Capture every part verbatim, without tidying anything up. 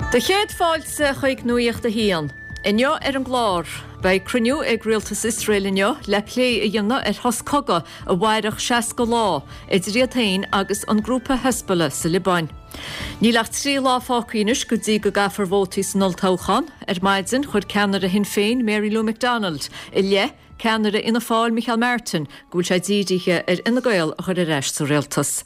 Do chéad fáilte chuig Nuacht a hAon. Inniu ar an gclár, beidh cruinniú ag rialtas Iosrael inniu le plé a dhéanamh ar shos cogaidh a mhairfeadh seasca lá idir iad féin agus an grúpa Hezbollah sa Liobáin. Níl ach trí lá fágtha anois go dtí go gcaithfear vótaí san olltoghchán. Ar maidin chuir ceannaire Shinn Féin Mary Lou McDonald i leith ceannaire Fhianna Fáil Micheál Martin go bhfuil sé dírithe ar Fhine Gael a chur ar ais sa rialtas.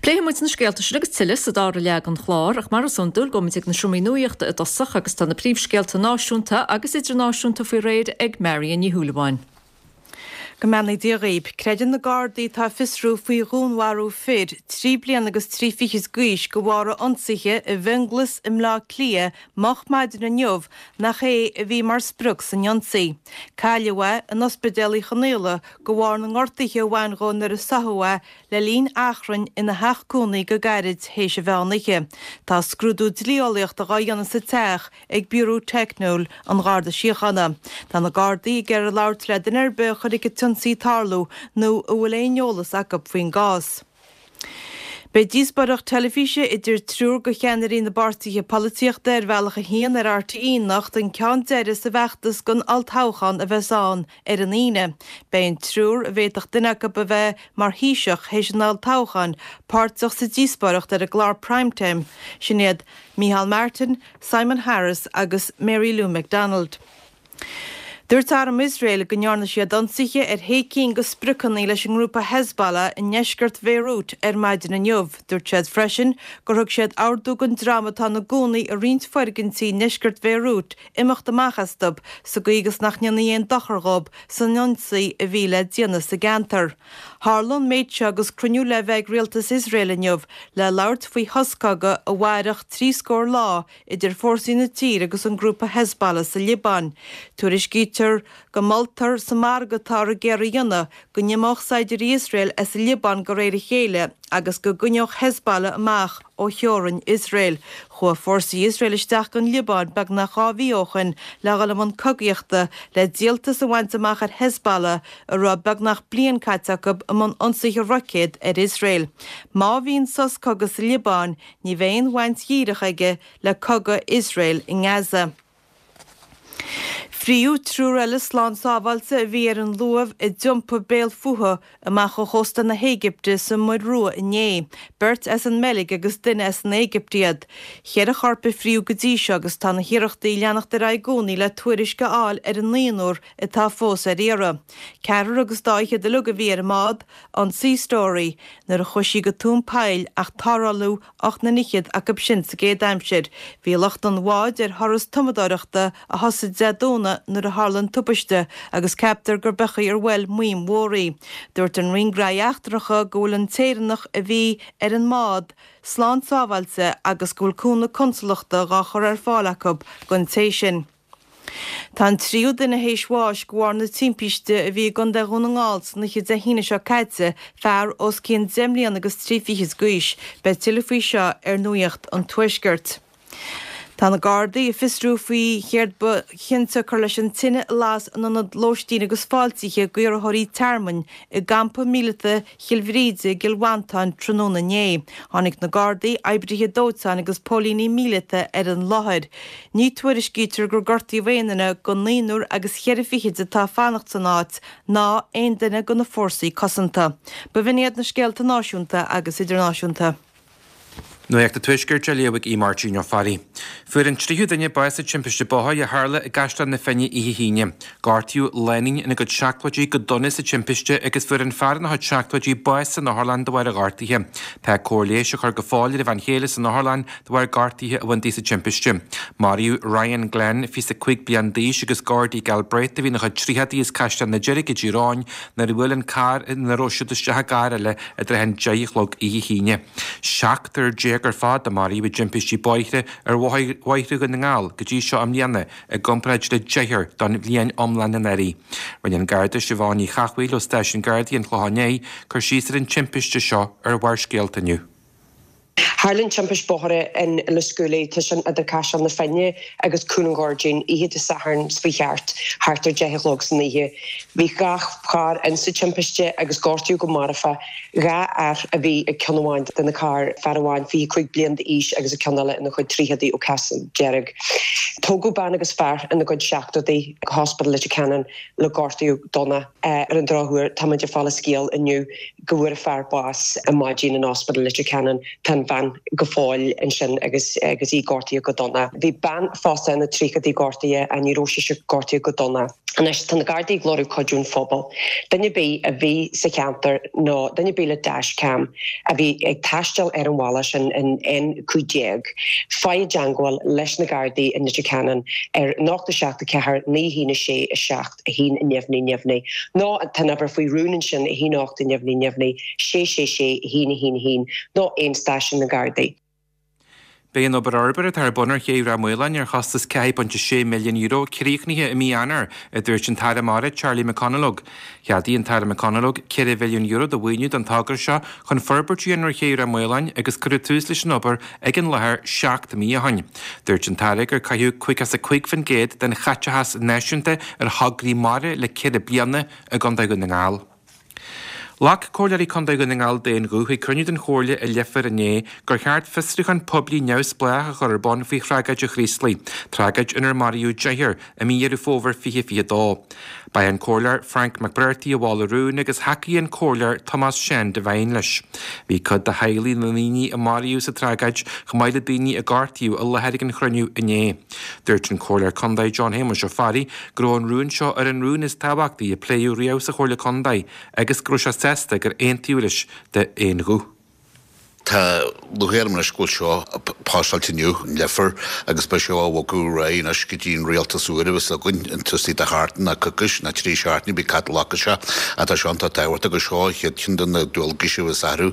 Pléifidh muid na scéalta sin agus tuilleadh sa dara leath den chlár ach mar is iondúil gabhfaimid ag na seomraí nuachta i dtosach agus tá na príomhscéalta náisiúnta agus idirnáisiúnta faoi réir ag Marion Ní Shúilleabháin. Go mbeannaí Dia dhaoib. Creideann na Gardaí atá ag fiosrú faoi dhúnmharú fir trí bliana agus trí fichid d'aois de bharr a ionsaithe i bhFionnghlas i mBleá Cliath moch maidin inniu nach é a bhí mar sprioc san ionsaí. Cailleadh é in Ospidéal Uí Chonghaile de bharr na ngortuithe a bhain dhó nuair a sáthadh é le linn achrainn ina theach cónaí go gairid théis an mheán oíche. Tá scrúdú dlí-eolaíochta dhá dhéanamh sa teach ag Biúró Teicniúil an Gharda Síochána. Tá na Gardaí ag iarraidh labhairt le duine ar bith a chonaic an t-ionsaí ag tarlú nó a bhfuil aon eolas acu faoin gcás. Beidh díospóireacht teilifíse idir triúr de cheannairí na bpáirtithe polaitíochta ar Bhealach a hAon ar RTÉ anocht an ceann deiridh sa bhfeachtas don olltoghchán a bheas ann ar an Aoine. Beidh an triúr, a bhféadfadh duine acu a bheith mar Thaoiseach théis an olltoghcháin, páirteach sa díospóireacht ar an gclár Prime Time. Sin iad Micheál Martin, Simon Harris agus Mary Lou McDonald. Dúirt Arm Iosrael go ndearna siad ionsaithe ar shé cinn de spriocanna leis an ngrúpa Hezbollah i ndeisceart Bhéiriút ar maidin inniu. Dúirt siad freisin gur thug siad ordú don dream atá ina gcónaí i roinnt foirgintí i ndeisceart Bhéiriút imeacht amach astu sa gcaoi agus nach ndéanfaí aon dochar dhóibh san ionsaí a bhí le déanamh sa gceantar. Tharla an méid seo agus cruinniú le bheith ag rialtas Iosrael inniu le labhairt faoi shos cogaidh a mhairfeadh trí scór lá idir fórsaí na tíre agus an grúpa Hezbollah sa Liobáin. Tuairiscítear go moltar sa margadh atáthar ag iarraidh a dhéanamh go n-imeodh saighdiúirí Iosrael as an Liobáin de réir a chéile agus go gcoinneodh Hezbollah amach ó theorainn Iosrael. Chuaigh fórsaí Iosrael isteach don Liobáin beagnach dhá mhí ó shin le dhul i mbun cogaíochta le díoltas a bhaint amach ar Hezbollah a raibh beagnach bliain caite acu i mbun ionsaithe roicéad ar Iosrael. Má bhíonn sos cogaidh sa Liobáin, ní bheidh aon bhaint dhíreach aige le cogadh Iosrael i nGaza. Fríodh triúr eile slán sábháilte a bhí ar an luamh a d'iompaigh béal fúthu amach ó chósta na hÉigipte sa Muir Rua inné. Beirt as an mBeilg agus duine as an Éigipt iad. Cheithre chorp a fríodh go dtí seo agus tá na hiarrachtaí ag leanacht ar aghaidh i gcónaí le tuairisc a fháil ar an naonúr atá fós ar iarraidh. Ceathrar agus dá fhichead uilig a bhí ar an mbád, an Sea Story, nuair a chuaigh sí go tóin poill ach tarrtháladh ocht nduine fhichead acu sin sa gcéad aimsir. Bhí lucht an bháid ar thuras tumadóireachta a thosaigh Dé Domhnaigh nuair a tharla an tubaiste agus ceaptar gur bechaí ar bhuail maidhm mhór í. Dúirt an Roinn Gnóthaí Eachtracha go bhfuil an tÉireannach a bhí ar an mbád slán sábháilte agus go bhfuil cúnamh consalachta dhá chur ar fáil acu don té sin. Tá an tríú duine théis bháis de bharr na timpiste a bhí i gContae Dhún na nGall san oíche Dé hAoine seo caite, fear os cionn deich mbliana agus trí fichid d'aois. Beidh tuilleadh faoi seo ar Nuacht an Tuaiscirt. Tá na Gardaí ag fiosrú faoi chéard ba chionsiocair leis an tine a las in ionad lóistín agus fáiltithe d'iarrthóirí tearmainn i gcampa míleata Chill Bhríde i gCill Mhantáin tráthnóna inné. Tháinig na Gardaí, oibrithe dóiteáin agus póilíní míleata ar an láthair. Ní tuairiscítear gur gortaíodh aon duine den naonúr agus cheithre fichid atá ag fanacht san áit ná aon duine de na fórsaí cosanta. B'in iad na scéalta náisiúnta agus idirnáisiúnta. Nuacht an Tuaiscirt á léamh ag Aodh Máirtín Ó Fearraigh. Fuair an tríú duine bás sa timpiste bóthair a tharla i gCaisleán na Finne oíche hAoine. Gortaíodh lánúin ina gcuid seachtóidí go dona sa timpiste agus fuair an fear ina chuid seachtóidí bás san otharlann de bharr a ghortaithe. Tá cóir leighis á chur go fóill ar a bhean chéile san otharlann de bharr gortaithe a bhain di sa timpiste. Maraíodh Ryan Glenn, fiche a cúig bliain d'aois agus Gordy Galbraith a bhí ina chuid tríochadaí as Caisleán na Deirge i dTír Eoghain nuair a bhuail an carr ina raibh siad isteach i gcarr eile i dtrátha an deich a chlog oíche hAoine. Seachtar déag ar fad a maraíodh i dtimpistí bóithre ar bhóithre Dhún na nGall go dtí seo i mbliana i gcomparáid le deichniúr don bhliain iomlán anuraidh. Rinne an Garda Siobhán Ní Chathmhaoil ó Stáisiún Gardaí an Chlocháin Léith cur síos ar an timpiste seo ar Bharrscéalta inniu. Tharla an timpiste bóthair in Lios Gualaí, tá sin idir Caiseal na Finne agus Cúl an Ghairdín, oíche Dé Sathairn faoi cheart thart ar deich a chlog san oíche. Bhí dhá charr insa timpiste agus gortaíodh go marfach dhá fhear a bhí ag ceann amháin de na cairr, fear amháin fiche cúig bliain d'aois agus an ceann eile ina chuid tríochaidí ó Castle Dearg. Tógadh bean agus fear ina gcuid seachtóidí go Hospital Leitir Ceanainn le gortú dona. Ar an drochuair, táimid ag fáil an scéal inniu go bhfuair an fear bás ar maidin in Ospidéal Leitir Ceanainn. Tá an bhean go fóill ansin agus agus í gortaithe go dona. Bhí bean fosta ina tríochaidí gortaithe ach ní raibh sise gortaithe go dona. Anois tá na Gardaí ag lorg cuidiú an phobail. Duine ar bith a bhí sa cheantar nó duine ar bith le dashcam a bhí ag taisteal ar an bhealach sin in N cúig déag, faigh i dteangmháil leis na Gardaí in Leitir Ceanainn ar ocht a seacht a ceathair naoi haon a sé a seacht a haon neamhní neamhní nó tá an uimhir faoi rún ansin a haon ocht neamhní neamhní sé sé sé a haon a haon a haon nó aon stáisiún na Gardaí. Beidh an obair fhorbartha atá ar bun ar ché Ráth Maoláin ar chostas ceathair ponc sé milliún euro críochnaithe i mí Eanáir, a dúirt an tAire Mara Charlie McConalogue. Cheadaigh an tAire McConalogue ceithre mhilliún euro de mhaoiniú don togra seo chun forbairt a dhéanamh ar ché Ráth Maoláin agus cuireadh tús leis an obair ag an láthair seacht mí ó shin. Dúirt an tAire gur caitheadh caoga is a cúig faoin gcéad den chaiteachas náisiúnta ar thograí mara le ceithre bliana i gContae Dhún na nGall. Ghlac Comhairleoirí Contae Dhún na nGall d'aon ghuth ag cruinniú den Chomhairle i Leifear inné gur cheart fiosrúchán poiblí neamhspleách a chur ar bun faoi thragóid an Chraoslaigh, tragóid inar maraíodh deichniúr i mí Dheireadh Fómhair fiche fiche dó. Ba é an Comhairleoir Frank McBrearty a mhol an rún agus thacaigh an Comhairleoir Tomás Seán Devine leis. Bhí cuid de theaghlaigh na ndaoine a maraíodh sa tragóid chomh maith le daoine a gortaíodh i láthair ag an chruinniú inné. Dúirt an Comhairleoir Contae John Shéamuis Ó Fearraigh go raibh an rún seo ar an rún is tábhachtaí a pléadh riamh sa Chomhairle Contae agus go raibh sé sásta gur aontaíodh leis d'aon ghuth. Tá lúcháir orm anois go bhfuil seo pasáilte inniu in Leifear agus beidh seo á bhogadh ar aghaidh anois go dtí an rialtas úr a bheas againn an taobh istigh de sheachtain nó coicís nó trí seachtaine bí cad glacadh sé ach tá seo iontach tábhachtach agus seo an chéad cheann de na dualgais a bheas orthu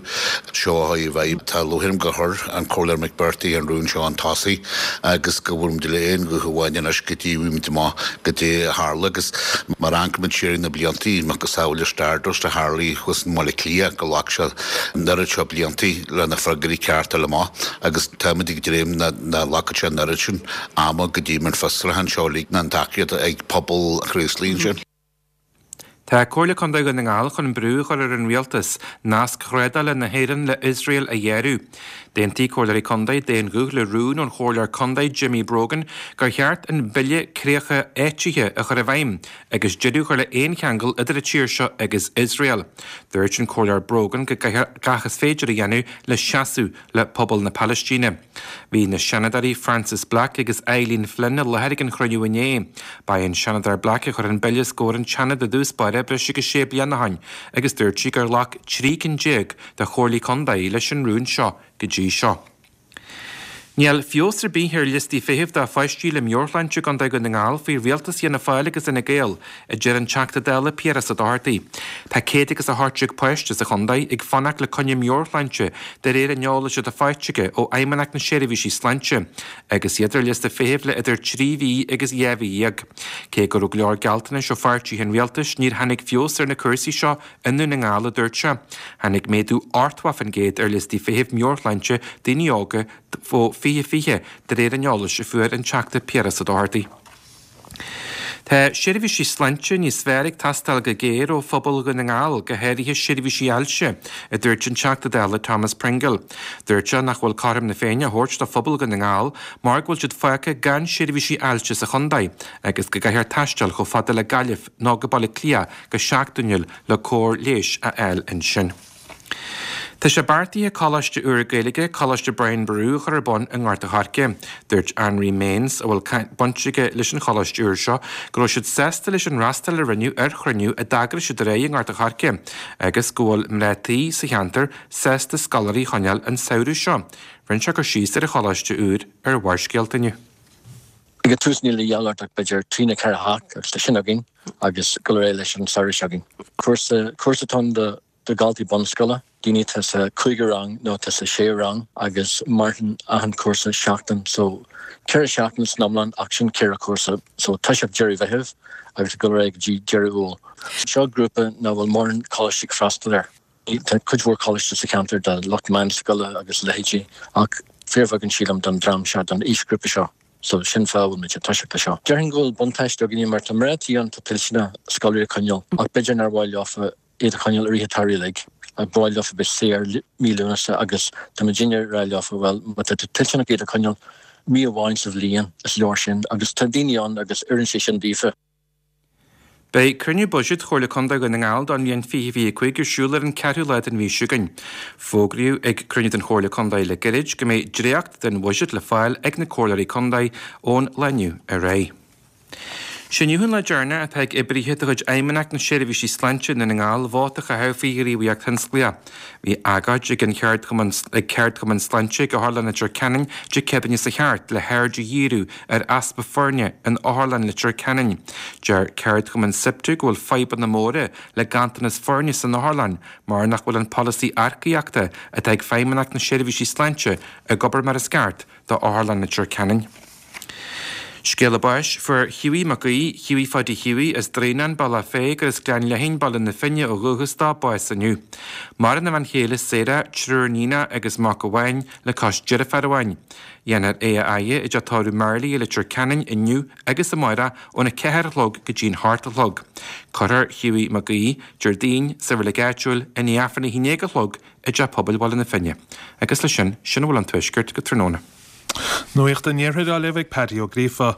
seo a chur i bhfeidhm. Tá lúcháir orm gur chuir an Comhairleoir McBrearty an rún seo chun tosaigh agus go bhfuil muid le aon ghuth amháin anois go dtí bhfuil muid amach goidé a tharla agus mar amharcann muid siar ar na bliantaí macasamhail Stardust a tharlaigh thuas i mBaile Átha Cliath go ghlac sé an oiread seo bliantaí le na freagraí ceart a fháil amach agus táimid ag dréim nach nglacfaidh sé an oiread sin ama go dtí an fiosrúchán seo uilig ná an tacaíocht ag pobal an Chraoslaigh ansin. Tá Comhairle Contae Dhún na nGall chun brú a chur ar an rialtas nasc thrádála na hÉireann le Iosrael a ghéarú. D'aontaigh Comhairleoirí Contae d'aon ghuth le rún ón Chomhairleoir Contae Jimmy Brogan gur cheart an Bille Críocha Áitithe a chur i bhfeidhm agus deireadh a chur le haon cheangal idir an tír seo agus Iosrael. Dúirt an Comhairleoir Brogan go gcaithfear gach is féidir a dhéanamh le seasamh le pobal na Palaistíne. Bhí na Seanadóirí Frances Black agus Eileen Flynn i láthair ag an chruinniú inné. Ba í an Seanadóir Black a chuir an bille os comhair an tSeanaid i dtús báire breis agus sé bliana ó shin agus dúirt sí gur ghlac trí cinn déag de chomhairlí contae leis an rún seo go dtí seo. Níl feabhas ar bith ar liostaí feithimh do pháistí le meabhairshláinte i gContae Dhún na nGall faoi rialtas Fhianna Fáil agus Fhine Gael, a deir an Teachta Dála Piaras Ó Dochartaigh. Tá céad agus a hocht déag páiste sa chontae ag fanacht le coinne meabhairshláinte de réir an eolais atá faighte aige ó Fheidhmeannacht na Seirbhísí Sláinte, agus iad ar liosta feithimh le idir trí mhí agus dhá mhí dhéag. Cé go raibh go leor gealltanais ó pháirtithe an rialtais, níor tháinig feabhas ar na cúrsaí seo i nDún na nGall, a dúirt sé. Tháinig méadú ochtó faoin gcéad ar liostaí feithimh meabhairshláinte daoine óga ó fiche fiche de réir an eolais a fuair an Teachta Piaras Ó Dochartaigh. Tá seirbhísí sláinte níos fearr ag teastáil go géar ó phobal Dhún na nGall, go háirithe seirbhísí ailse, a dúirt an Teachta Dála Thomas Pringle. Dúirt sé nach bhfuil cothrom na Féinne á thabhairt do phobal Dhún na nGall mar go bhfuil siad fágtha gan seirbhísí ailse sa chontae agus go gcaithfear taisteal chomh fada le Gaillimh nó go Baile Átha Cliath go seachtainiúil le cóir leighis a fháil ansin. Tá sé beartaithe coláiste úr Gaeilge, Coláiste Brian Boru, a chur ar bun i nGort an Choirce. Dúirt Anraí Mains, a bhfuil baint aige leis an choláiste úr seo, go raibh siad sásta leis an fhreastal a rinneadh ar chruinniú a d'eagraigh siad aréir i nGort an Choirce, agus go bhfuil mná tí sa cheantar sásta scoláirí a choinneáil an samhradh seo. Rinne sé cur síos ar an choláiste úr ar Bharrscéalta inniu. Ag an tús níl a dhealbh ach b'fhéidir trí nó ceithre theach agus tá sin againn agus go réidh leis an samhradh seo againn. Cúrsa cúrsa atá ann do do dhaltaí bunscoile, daoine atá sa cúigiú rang nó atá sa séú rang agus maireann achan cúrsa seachtain so ceithre seachtaine san iomlán ach sin ceithre chúrsa so toiseacht deireadh Mheithimh agus go réidh go dtí deireadh Iúil. Seo grúpa nach bhfuil mórán coláistí ag freastal air. Tá cuid mhór coláiste sa cheantar do lucht meánscoile agus a leithéidí ach fíorbheagán sílim don dream seo, don aoisghrúpa seo. So sin fáth a bhfuil muid ag toiseacht leis seo. Déarfainn go bhfuil buntáiste againne mar tá mná tí ann atá toilteanach scoláirí a choinneáil ach b'fhéidir nár mhaith leofa iad a choinneáil i rith an tsamhraidh uilig. Ba mhaith leofa bheith saor mí Lúnasa agus tá muidinne ag rá leofa bhuel má tá tú toilteanach iad a choinneáil mí amháin sa bhliain is leor sin agus tá daoine ann agus oireann sé sin daofa. Beidh cruinniú buiséid Chomhairle Contae Dhún na nGall don bhliain fiche fiche cúig ar siúl ar an ceathrú lá den mhí seo chugainn. Fógraíodh ag cruinniú den Chomhairle Contae le gairid go mbeidh dréacht den bhuiséad le fáil ag na comhairleoirí contae ón lá inniu ar aghaidh. Sé inniu an lá deireanach atá ag oibrithe de chuid Fheidhmeannacht na Seirbhísí Sláinte i nDún na nGall vóta a chaitheamh faoi ghníomhaíocht thionsclaíoch. Bhí agóid ag an cheardchumann ag ceardchumann sláinte ag Otharlann Leitir Ceanainn Dé Céadaoine sa cheart le haird a dhíriú ar easpa foirne in Otharlann Leitir Ceanainn. Deir ceardchumann SIPTU go bhfuil fadhbanna móra le ganntanas foirne san otharlann mar nach bhfuil an polasaí earcaíochta atá ag Feidhmeannacht na Seirbhísí Sláinte ag obair mar is ceart do Otharlann Leitir Ceanainn. Scéala báis, Fuair Hughie Mac Aoidh, Hughie Pháidí Hughie, as Droighneán, Bealach Féich gur as Gleann Léithín, Baile na Finne ó dhúchas dó, bás inniu. Maireann a bhean chéile Sarah, triúr níonacha agus mac amháin le cois deirféar amháin. Dhéanfar é a fhaire i dteach tórraimh Marley i Leitir Ceanainn inniu agus amárach óna ceathair a chlog go dtí'n hocht a chlog. Cuirfear Hughie Mac Aoidh, Déardaoin, sa reilig áitiúil i ndiaidh Aifreann a haon déag a chlog i dteach pobail Bhaile na Finne. Agus leis sin, sin a bhfuil ón Tuaisceart go tráthnóna. Nuacht an Iarthair á léamh ag Paddy Ó Gríofa.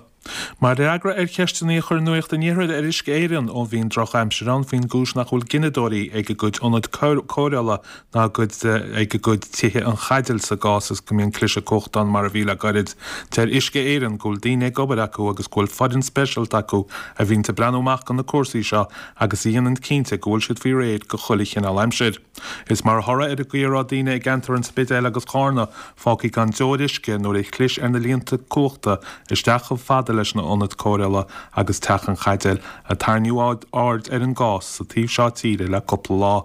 Mar fhreagra ar cheisteanna a chuir Nuacht an Iarthair ar Uisce Éireann ó bhí an drochaimsir ann faoin gcúis nach bhfuil gineadóirí ag a gcuid ionad cóireála ná ag a gcuid tithe an chaidéil sa gcás is go mbíonn cliseadh cumhachta ann mar a bhí le gairid. Deir Uisce Éireann go bhfuil daoine ag obair acu agus go bhfuil foireann speisialta acu a bhíonn ag breathnú amach do na cúrsaí seo agus a dhéanann cinnte go bhfuil siad faoi réir do chuile chineál aimsir. Is mar thoradh ar an gcaoi a raibh daoine i gceantar an Spidéil agus Charna fágtha gan deoir uisce nuair a chlis ar na líonta cumhachta isteach chomh fada leis na ionaid cóireála agus Teach an Chaidéil a tarraingíodh aird ar an gcás sa taobh seo tíre le cúpla lá.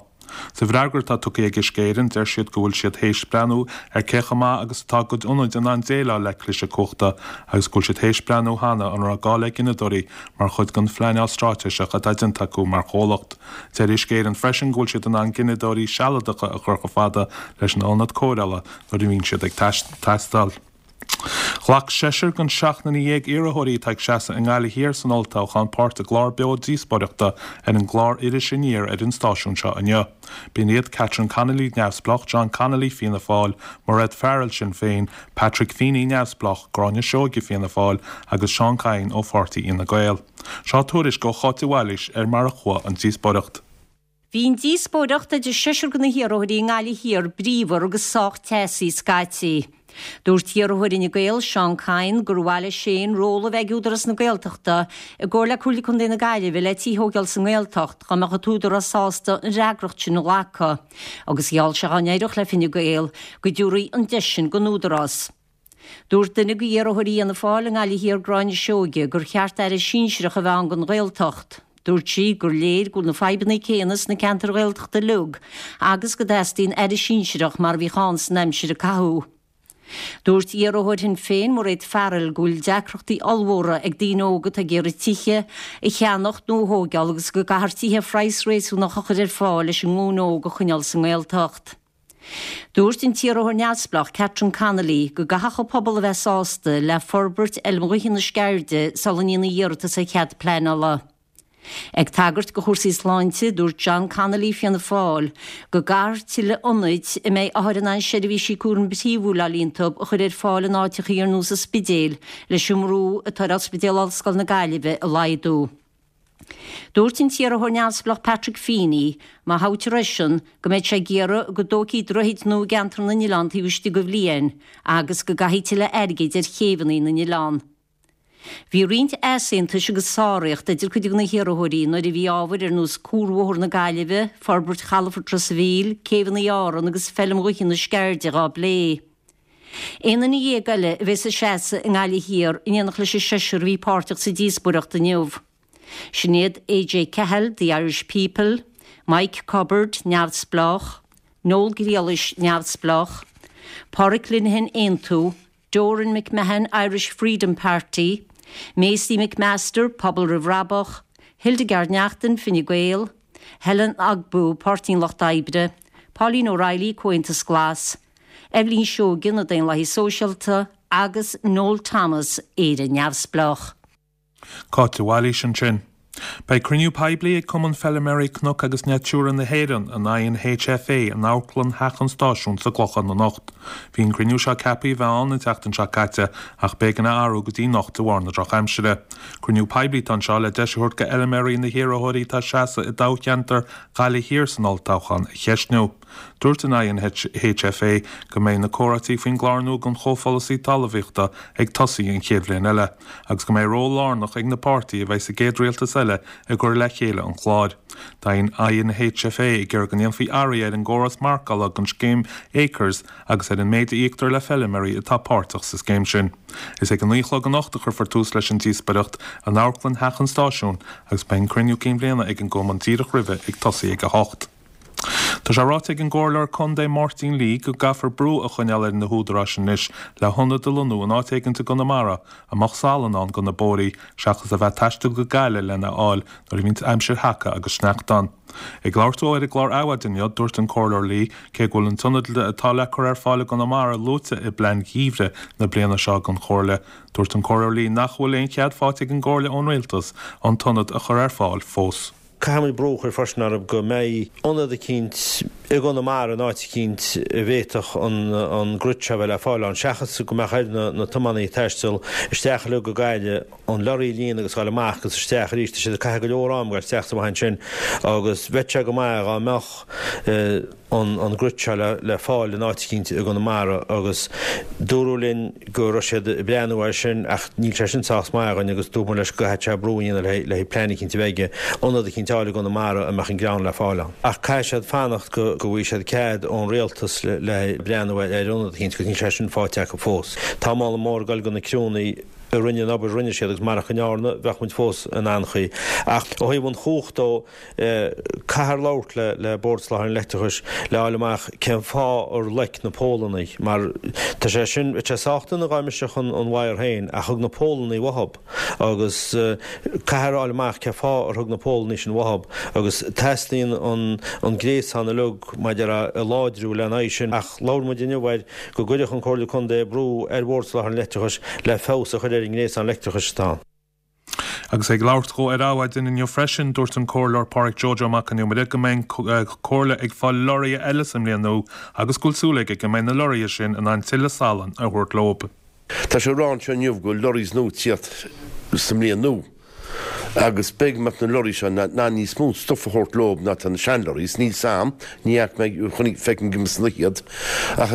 Sa bhfreagra atá tugtha ag Uisce Éireann deir siad go bhfuil siad théis breathnú ar cé chomh maith agus atá a gcuid ionaid in ann déileáil le cliseadh cumhachta agus go bhfuil siad théis breathnú cheana an raibh gá le gineadóirí mar chuid den phleanáil straitéiseach atá déanta acu mar chomhlacht. Deir Uisce Éireann freisin go bhfuil siad in ann gineadóirí sealadacha a chur chomh fada leis an ionad cóireála nuair a bhíonn siad ag teastáil. Ghlac seisear den seacht nduine dhéag iarrthóirí atá ag seasamh i nGaillimh Thiar san olltoghchán páirt i gclár beo díospóireachta ar an gclár Iris Aniar ar an stáisiún seo inniu. B'in iad Catherine Connolly, Neamhspleách, John Connolly, Fianna Fáil, Mairéad Farrell, Sinn Féin, Patrick Feeney, Neamhspleách, Gráinne Seoige, Fianna Fáil, agus Seán Kyne ó Pháirtí Fhine Gael. Seo tuairisc ó Cháit de Bhailís ar mar a chuaigh an díospóireacht. Bhí an díospóireacht idir seisear de na hiarrthóirí i nGaillimh Thiar bríomhar agus sách teasaí scaití. Dúirt iarrthóir Fhine Gael, Seán Kyne, gur mhaith leis féin ról a bheith ag Údarás na Gaeltachta i gcomhar le Comhairle Contae na Gaillimhe le tithe a thógáil sa nGaeltacht dá mbeadh an t-údarás sásta an fhreagracht sin a ghlacadh, agus gheall sé dá n-éireodh le Fine Gael go dtabharfaí an deis sin don Údarás. Dúirt duine de iarrthóirí Fhianna Fáil i nGaillimh Thiar Gráinne Seoige gur cheart aire sinsearach a bheith ann don Ghaeltacht. Dúirt sí gur léir go bhfuil na fadhbanna céanna sna ceantair Ghaeltachta uilig agus go dteastaíonn aire sinsearach mar a bhíodh ann san aimsir a caitheadh. Dúirt iarrthóir Shinn Féin, Mairéad Farrell, go bhfuil deacrachtaí ollmhóra ag daoine óga atá ag iarraidh tithe a cheannacht nó a thógáil agus go gcaithfear tithe ar phraghas réasúnach a chur ar fáil leis an nglúin óg a choinneáil sa nGaeltacht. Dúirt an t-iarrthóir neamhspleách Catherine Connolly go gcaithfeadh an pobal a bheith sásta le forbairt Fheilm Ghaoithe na Sceirde sula ndéanfaí iarratas ar chead pleanála. Ag tagairt do chúrsaí sláinte, dúirt John Connolly, Fianna Fáil, go gcaithfear tuilleadh ionaid a mbeidh othair in ann seirbhísí cúraim phríomhúil a fháil iontu a chur ar fáil in áiteachaí ar nós an Spidéil leis an mbrú atá ar Ospidéal Ollscoil na Gaillimhe a laghdú. Dúirt an t-iarrthóir neamhspleách Patrick Feeney, má thoghtar eisean, go mbeidh sé ag iarraidh go dtógfaí droichid nua i gceantar na n-oileán taobh istigh de bhliain agus go gcaithfí tuilleadh airgid ar chéibheanna na n-oileán. Bhí roinnt easaontais agus sáraíocht idir cuid de na hiarrthóirí nuair a bhí ábhair ar nós Cuarbhóthar na Gaillimhe, forbairt chalafort Ros an Mhíl, céibheanna Árann agus Feilm Ghaoithe na Sceirde dhá bplé. Aon duine dhéag eile a bheas ag seasamh i nGaillimh Thiar in éineacht leis an seisear a bhí páirteach sa díospóireacht inniu. Sin iad AJ Cahill, The Irish People, Mike Cubbard, Neamhspleách, Noel Grealish, Neamhspleách, Pádraic Linehan, Aontú, Doran McMahon, Irish Freedom Party, Maisie McMaster, Pobal Roimh Bhrabach, Hildegarde Naughton, Fine Gael, Helen Ogbu, Páirtí an Lucht Oibre, Pauline O'Reilly, Comhaontas Glas, Eibhlín Seoige, na Daonlathaithe Sóisialta agus Noel Thomas, Éire Neamhspleách. Cáit de Bhailís ansin. Beidh cruinniú poiblí ag Cumann Feilméaraí Cnoc agus Natura na hÉireann, an I N H F A, in Amharclann Theach an Stáisiúin sa gClochán anocht. Bhí an cruinniú seo ceaptha a bheith ann an tseachtain seo caite ach b'éigean a athrú go dtí anocht de bharr na drochaimsire. Cruinniú poiblí atá anseo le deis a thabhairt go fheilméaraí na hiarrthóirí atá ag seasamh i dtoghcheantar Ghaillimh Thiar san olltoghchán a cheistniú. Dúirt an I N H F A go mbeidh na comhráití faoin gclár nua don chomhpholasaí talmhaíochta ag tosaí an chéad bhliain eile, agus go mbeidh ról lárnach ag na páirtithe a bheidh sa gcéad rialtas eile i gcur le chéile an chláir. Tá an I N H F A ag iarraidh go ndéanfaí athruithe ar an gcóras marcála don scéim Acres agus ar an méid a íoctar le feilméaraí atá páirteach sa scéim sin. Is ag an naoi a chlog anocht a chuirfear tús leis an díospóireacht in Amharclann Theach an Stáisiúin agus beidh an cruinniú cinn bhliana ag an gcumann díreach roimhe ag tosaí ag a hocht. Tá sé ráite ag an gcomhairleoir Contae Máirtín Lee go gcaithfear brú a choinneáil ar na húdaráis anois le hionad a lonnú in áit éigin i gConamara a mbeadh salann ann do na bóithre seachas a bheith ag taisteal go Gaillimh lena fháil nuair a bhíonn aimsir sheaca agus sneachta ann. Ag labhairt dó ar an gclár Adhmhaidin inniu dúirt an comhairleoir Lee cé go bhfuil an t-ionad atá le cur ar fáil i gConamara luaite i bplean gheimhreadh na bliana seo don chomhairle. Dúirt an comhairleoir Lee nach bhfuil aon chead faighte ag an gcomhairle ón rialtas an t-ionad a chur ar fáil fós. Caithfimid brú a chur freisin orthu go mbeidh ionad eicínt i gConamara in áit eicínt a bhféadfadh an an grit seo bheith le fáil ann seachas go mbeadh ar na na tiománaithe taisteal isteach le go Gaillimh an lorry a líonadh agus dul amach agus isteach arís. Tá siad ag caitheamh go leor am ag isteach amach ansin agus bheadh sé go maith dá mbeadh an an grit seo le le fáil in áit eicínt i gConamara agus dúradh linn go raibh siad ag breathnú air sin ach níl sé sin sách maith againn agus dúirt leis go gcaithfidh sé brú a dhéanamh le le plean eicínt a bheith aige ionad eicínt a fháil i gConamara a mbeadh an greann le fáil ann. Ach caithfidh siad fanacht go go bhfaighidh siad cead ón rialtas le le breathnú ar ionad eicínt agus níl sé sin faighte acu fós. Tá moladh mór ag dul do na criúnna a rinne an obair rinne siad agus marach an ndearna bheadh muid fós in anchaoi. Ach ó thaobh an chumhacht dó caithfear labhairt le le Bord Soláthair an Leictreachais le fháil amach cén fáth ar loic na pólanna mar tá sé sin sé sách dona dá mbriseadh an an wire féin ach thug na pólanna uathu agus caithfear fháil amach cén fáth ar thug na pólanna sin uathu agus teastaíonn an an gréasán uilig maidir a láidriú lena aghaidh sin ach labhair muid inniu air go gcuirfeadh an Comhairle Contae brú ar Bhord Soláthair an Leictreachais le feabhas a chur ar an ngréasán leictreachais atá. Agus ag labhairt dó ar Adhmhaidin inniu freisin dúirt an comhairleoir Pádraig Joe Mac an Iomaire go mbeidh comhairle ag fáil lorraithe eile sa mbliain nua agus go bhfuil súil aige go mbeidh na lorraithe sin in ann tuilleadh salann a thabhairt leo. Tá sé ráite inniu go lorries nua ag tíocht sa mbliain nua. Agus beidh mat na lorry seo ná níos mó stuff a thabhairt leo ná tá na sean-lorries, níl sam ní mé feiceann go san iad ach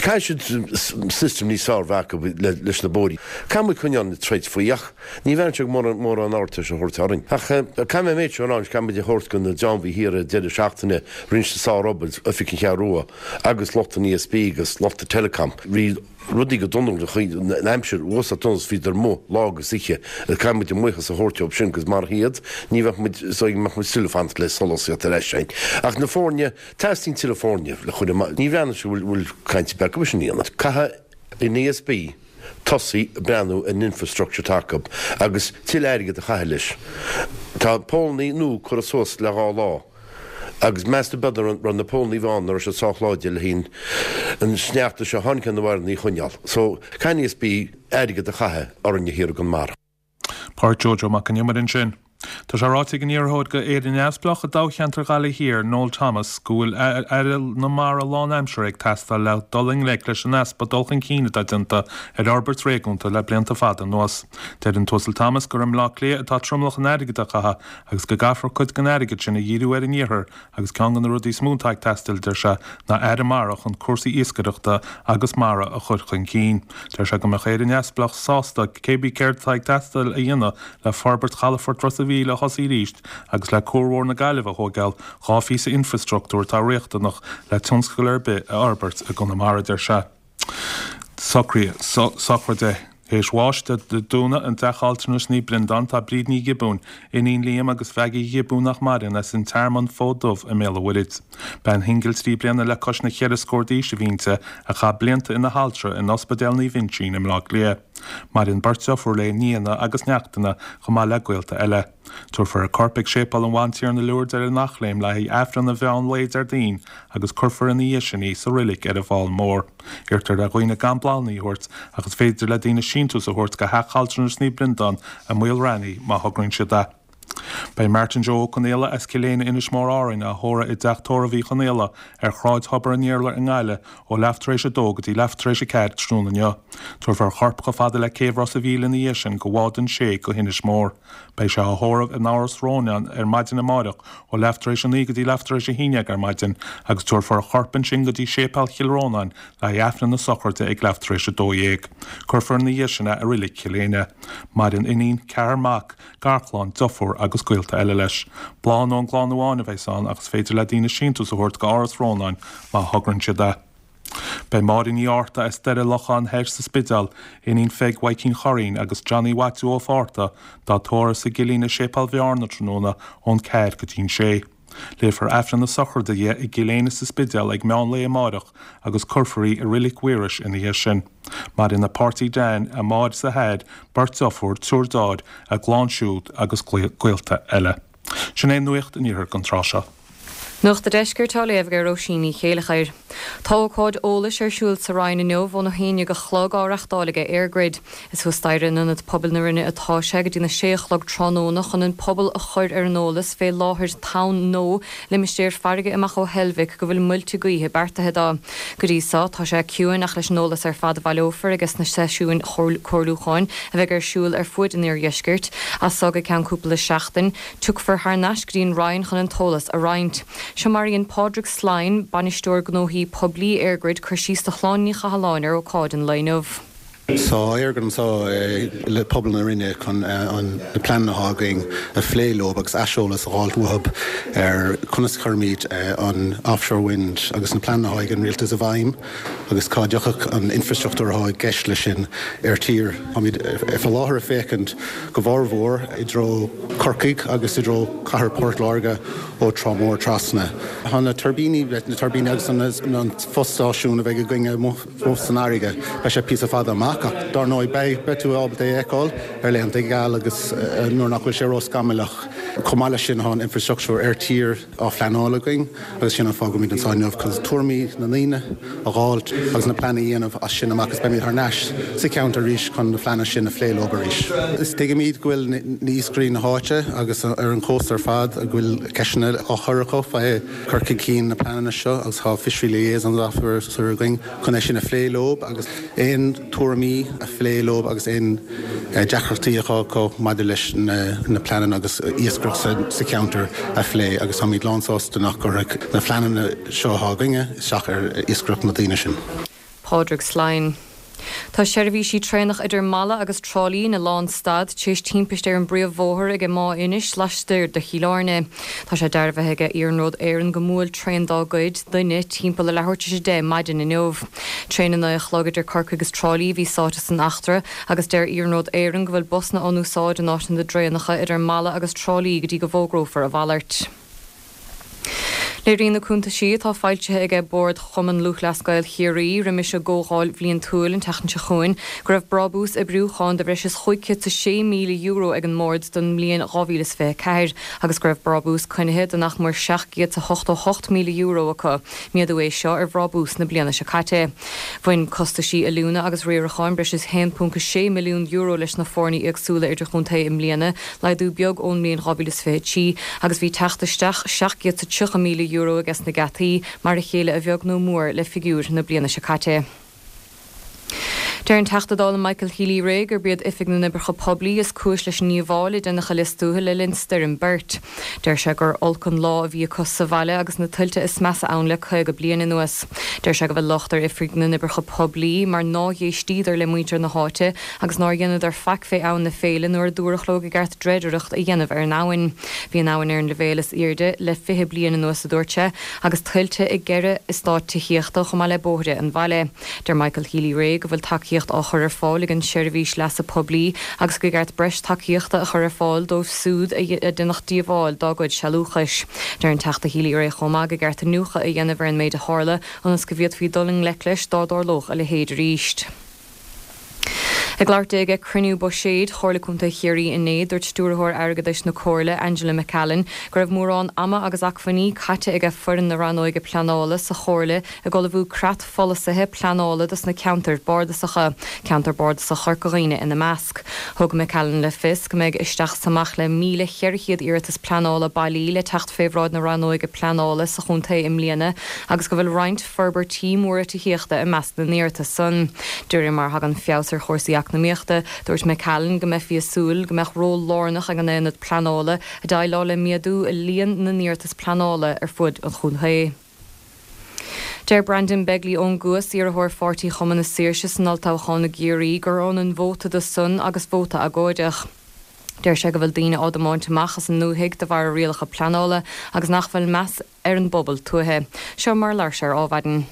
caithfidh siad system níos fearr a bheith acu leis na bóithre. Caithfidh muid coinneáil na troid faoi ach ní bhean se mór mór an áirta se thuirt orainn. Ach caithfidh mé seo ná caithfidh muid a thabhairt go na Deanbhí thiar deireadh seachtaine rinne sár-obair Oifig an Cheathrú Rua agus lucht an E S B agus lucht Telecom. Bhí rudaí go dona an aimsir uasa tunas bhí mo lá agus oíche caithfidh muid buíochas a thabhairt dóibh sin gus mar hiad ní bheadh muid muid silfant le solas leis sin. Ach na foirne teastaíonn tuilleadh foirne le chuile ní bhean se bhfuil caint be sin dhéanamh. Caithfidh an E S B tosaí breathnú an infrastructure atá acu agus tuilleadh airgead a chaitheamh leis. Tá pólanna nua curtha suas le dhá lá. Agus measta b'fhéidir ran na pólanna bháin ar se sáláide le hín an sneachta seo tháinig na bhar ní choinneáil. So caithfidh E S B airgead a chaitheamh ar an thiar gon mar. Pádraig Joe Mac an Iomaire ansin. Tá sé ráite ag an iarrthóir go Éire Neamhspleách i dtoghcheantar Ghaillimh Thiar Noel Thomas go bhfuil aire na mara lánaimseartha ag teastáil le dul i ngleic leis an easpa dul chun cinn atá déanta ar fhorbairt réigiúnda le blianta fada anuas. Deir an tUasal Thomas gur i mBleá Cliath atá tromlach an airgid á chaitheamh agus go gcaithfear cuid den airgead sin a dhíriú ar an iarthar agus ceann de na rudaí is mó atá ag teastáil deir sé ná aire mara chun cúrsaí iascaireachta agus mara a chur chun cinn. Deir sé go mbeadh Éire Neamhspleách sásta cébí céard atá ag teastáil a dhéanamh le forbairt chalafort Ros an Mhíl a thosaí arís agus le Cuar Mhór na Gaillimhe a thógáil dhá phíosa infrastruchtúr atá riachtanach le tionscal ar bith a fhorbairt i gConamara deir sé. Socraí sochraide Théis bháis de dúna an teach altranais Naomh Breandán tá Bríd Ní Ghiobúin, iníon Liam agus Mhaggie Ghiobúin nach maireann as an Tearmann Fód Dubh i mBéal an Mhuirthead. Bean shingil trí bliana le cois na ceithre scór d'aois a bhí inti a chaith blianta ina haltra in Ospidéal Naomh Uinseann i mBleá Cliath. Maireann beirt deirfiúr léi, nianna agus neachtanna chomh maith le gaolta eile. Tabharfar a corp ag Séipéal an Bhantiarna Lourdes ar an Eachléim le haghaidh Aifreann an mheán lae Déardaoin agus cuirfear ina dhiaidh sin í sa reilig ar an bhFál Mór. Iarrtar ar dhaoine gan bláthanna a thabhairt ach is féidir le daoine síntiús a thabhairt go Theach Altranais Naomh Breandán i Maol Raithní má thograíonn siad é. Beidh Martin Joe Ó Conaola as Cill Éinne, Inis Mór, Árainn, á thórramh i dteach tórraimh Uí Chonaola ar Shráid Thobar an Iarla i nGaillimh ó leath tar éis a dó go dtí leath tar éis a ceathair tráthnóna inniu. Tabharfar a chorp chomh fada le céibh Ros a' Mhíl ina dhiaidh sin de bhád an sé go hInis Mór. Beidh sé á thórramh in Áras Rónáin ar maidin amáireach ó leath tar éis a naoi go dtí leath tar éis a haon déag ar maidin agus tabharfar a chorp ansin go dtí Séipéal Chill Rónáin le haghaidh Aifreann na sochraide ag leath tar éis a dó dhéag. Cuirfear ina dhiaidh sin é i Reilig Chill Éinne. Maireann iníon, ceathrar mac, garchlann, deirfiúr agus gaolta eile leis. Bláthanna ón gclann amháin a bheas ann ach is féidir le daoine síntiús a thabhairt go Áras Rónáin má thograíonn siad é. Beidh Máire Ní Fhátharta as Doire Locháin Thoir sa Spidéal, iníon Pheig Mhaidhcín Churraoin agus Johnny Mhaitiú Ó Fátharta dá tórramh sa gCillín i Séipéal Bhearna tráthnóna ón ceathair go dtí'n sé. Léifear Aifreann na sochraide di i gCill Éinne sa Spidéal ag meán lae amáireach agus cuirfear í i Reilig Mhaorais ina dhiaidh sin. Maireann a páirtí Dan, a máthair is a hathair, beirt deirfiúr, triúr dearthár, a gclann siúd agus gaolta eile. Sin é Nuacht an Iarthair don tráth seo. Nuacht an Deiscirt á léamh ag Róisín Ní Chéilleachair. Tá ócáid eolais ar siúl sa Rinn inniu óna haon déag a chlog á reachtáil ag EirGrid. Is thuas staighre in Ionad Pobail na Rinne atá sé go dtí na sé a chlog tráthnóna chun an pobal a chur ar an eolas fé láthair Tonn Nó, limistéar farraige amach ó Heilbhic go bhfuil muilte gaoithe beartaithe dó. Go dtí so tá sé ciúin ach leis an eolas ar fad a bhaileofar ages na seisiúin chomhairliúcháin a bheidh ar siúl ar fuaid an iardheiscirt as so go ceann cúpla seachtain, tiocfar thar n-ais go dtí an Rinn chun an t-eolas a roinnt. Seo mar a dhein Pádraig Slyne, Bainisteoir Gnóthaí Poiblí EirGrid, cur síos do Shláine Ní Chathalláin ar ócáid an lae inniu. Tá EirGrid anseo le pobal na Rinne chun an na pleananna atá againn a phlé leo agus aiseolas a fháil uathu ar conas chuirfimid an offshore wind agus na pleananna atá ag an rialtas i bhfeidhm agus cá dtiocfadh an infrastruchtúr atá i gceist leis sin ar tír. Táimid faoi láthair ag féachaint go mórmhór i dtreo Corcaigh agus i dtreo cathair Port Láirge ó Trá Mhór trasna. Tá na tuirbíní na tuirbíní agus an fostáisiún a bheidh againne amuigh san fharraige, beidh sé píosa fada amach ach dar ndóigh beidh beidh tú ábalta é a fheiceáil ar laethanta geala agus nuair nach bhfuil sé ró-scamallach. Chomh maith leis sin tá an infrastruchtúr ar tír á phleanáil againn agus sin an fáth go bhfuilimid anseo inniu chun tuairimí na ndaoine a fháilt agus na pleananna a dhéanamh as sin amach agus beimid thar n-ais sa cheantar arís chun na pleananna sin a phlé leo arís. Is tuigimid go bhfuil na iascairí na háite agus ar an chósta ar fad go bhfuil ceisteanna á chur acu fé cur chun cinn na pleananna seo agus tá Fishery Liaison Officer againn chun é sin a phlé leo agus aon tuairimí a phlé leo agus aon deacrachtaí atá acu maidir leis na pleananna agus iascaireacht sa cheantar a phlé agus táimid lánsásta nach gcuirfidh na pleananna seo atá againne isteach ar iascaireacht na daoine sin. Pádraig Slyne. Tá seirbhísí traenach idir Mala agus Trá Lí ina lánstad tar éis timpiste ar an bpríomhbhóthar ag Maigh Inis laistiar de Chill Airne. Tá sé dearbhaithe ag Iarnród Éireann go mbuail traein dá gcuid duine timpeall a leathuair tar éis a deich maidin inniu. Traein a naoi a chlog idir Corcaigh agus Trá Lí a bhí sáite san eachtra agus deir Iarnród Éireann go bhfuil busanna á n-úsáid in áit na dtraenacha idir Mala agus Trá Lí go dtí go bhfógrófar a mhalairt. Léiríonn na cuntaisí atá foilsithe aige Bord Chumann Lúthchleas Gael Chiarraí roimis a gcomhdháil bhliantúil an tseachtain seo chugainn go raibh brabús oibriúcháin de bhreis is chúig chéad is a sé míle euro ag an mbord don mbliain dhá mhíle is fiche a ceathair agus go raibh brabús coinnithe de nach mór seacht gcéad is a hochtó hocht míle euro acu, méadú é seo ar bhrabús na bliana seo caite. Bhain costaisí oiliúna agus riaracháin breis is haon ponc a sé milliún euro leis na foirne éagsúla idirchontae i mbliana, laghdú beag ón mbliain dhá mhíle is fiche a trí, agus bhí teacht isteach seacht gcéad is tríocha míle euro ages na geataí, mar a chéile a bheag nó mór le figiúir na bliana seo caite. Deir an Teachta Dála Michael Healy-Rae gurb iad Oifig na nOibreacha Poiblí is cúis leis an ndíobháil a deineadh i Lios Tuathail le linn Stoirm Bert. Deir sé gur olc an lá a bhí acu sa bhaile agus na tuilte is measa ann le caoga bliain anuas. Deir sé go bhfuil locht ar Oifig na nOibreacha Poiblí mar nár éistíodar le muintir na háite agus nár dheineadar faic fé Abhainn na Féile nuair a dúradh leo go gceart dreidireacht a dhéanamh ar an abhainn. Bhí an abhainn ar an leibhéal is airde le fiche bliain anuas, a dúirt sé, agus tuilte i gceithre eastát tithíochta chomh maith le bóithre an bhaile. Deir Michael Healy-Rae go bhfuil tacaíocht á chur ar fáil ag an tSeirbhís Leasa Poiblí agus go gceart breis tacaíochta a chur ar fáil dóibh súd a deineadh díobháil dá gcuid sealúchais. Deir an Teachta Healy-Rae chomh maith go gceart iniúchadh a dhéanamh ar an méid a tharla ionas go bhféadfaí dul i ngleic leis dá dtarlódh a leithéid arís. Ag labhairt di ag cruinniú buiséid Chomhairle Contae Chiarraí inné, dúirt Stiúrthóir Airgeadais na Comhairle, Angela McCallan, go raibh mórán ama agus acmhainní caite aige foireann na Rannóige Pleanála sa Chomhairle ag ullmhú creat pholasaithe pleanála dos na ceantair bardasacha, ceantar bardasach Chorca Dhuibhne ina measc. Thug McCallan le fios go mbeidh isteach is amach le míle cheithre chéad iarratas pleanála bailí le teacht fé bhráid na Rannóige Pleanála sa chontae i mbliana agus go bhfuil roinnt forbairtí móra tithíochta i measc na n-iarratas san. De réir mar a thagann feabhas ar chúrsaí eacnamaíochta, dúirt McCallan go mbeifí ag súil go mbeadh ról lárnach ag an aonad pleanála ag déileáil le méadú i líon na n-iarratas pleanála ar fud an chontae. Deir Brendan Begley ón gCuas, iarrthóir Pháirtí Chumann na Saoirse san olltoghchán i gCiarraí, gur ionann vóta dó san agus vóta agóideach. Deir sé go bhfuil daoine á dtiomáint amach as an ndúthaigh de bharr rialacha pleanála agus nach bhfuil meas ar an bpobal tuaithe. Seo mar a labhair sé ar Adhmhaidin.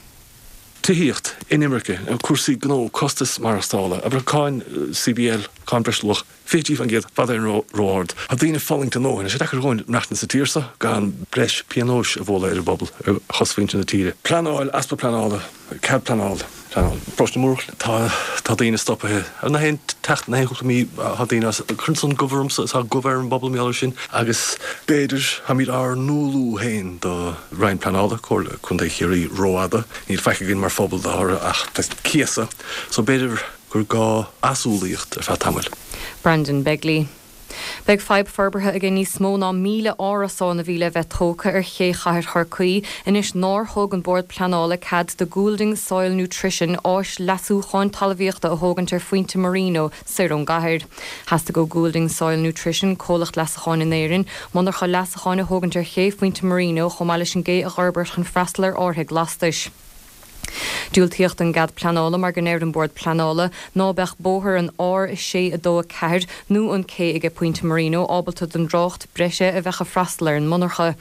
Tithíocht, inimirce, cúrsaí gnó, costas maireachtála, abair cáin C B L, cáin breisluach, fiche trí faoin gcéad, fad ar ró-ard. Tá daoine ag fulaingt a ndóthain. Tá sé deacair dhúinn maireachtaint sa tír seo gan breis pionóis a bhualadh ar an bpobal, ar chosmhuintir na tíre. Pleanáil, easpa pleanála, cead pleanála, pleanáil. Paróiste na Múrach, tá tá daoine stoptha. Ar na haon teacht na haon chúpla mí tá daoine as cuireann san gomh ormsa, tá gomh ar an bpobal mar gheall air sin agus b'fhéidir táimid ár n-umhlú féin do Roinn Pleanála, Comhairle Contae Chiarraí rófhada. Níl faic againn mar phobal dá thoradh ach cíosa, so b'fhéidir gur gá asumhlaíocht ar feadh tamaill. Brandon Begley. Beidh fadhb forbartha aige níos mó ná míle árasán a bhí le bheith tógtha ar ché chathair Chorcaí anois nár thug an Bord Pleanála cead do Goulding Soil Nutrition áis leasúcháin talmhaíochta a thógaint ar Phointe Marino soir ón gcathair. Theastaigh ó Goulding Soil Nutrition, comhlacht leasacháin in Éirinn, monarcha leasacháin a thógaint ar ché Phointe Marino chomh maith leis an gcé a fhorbairt chun freastal ar árthaigh lastais. Diúltaíodh don gcead pleanála mar go ndeir an Bord Pleanála ná beadh bóthar an R sé a dó a ceathair nó an cé aige Pointe Marino ábalta don dtrácht breise a bheadh ag freastal ar an monarcha.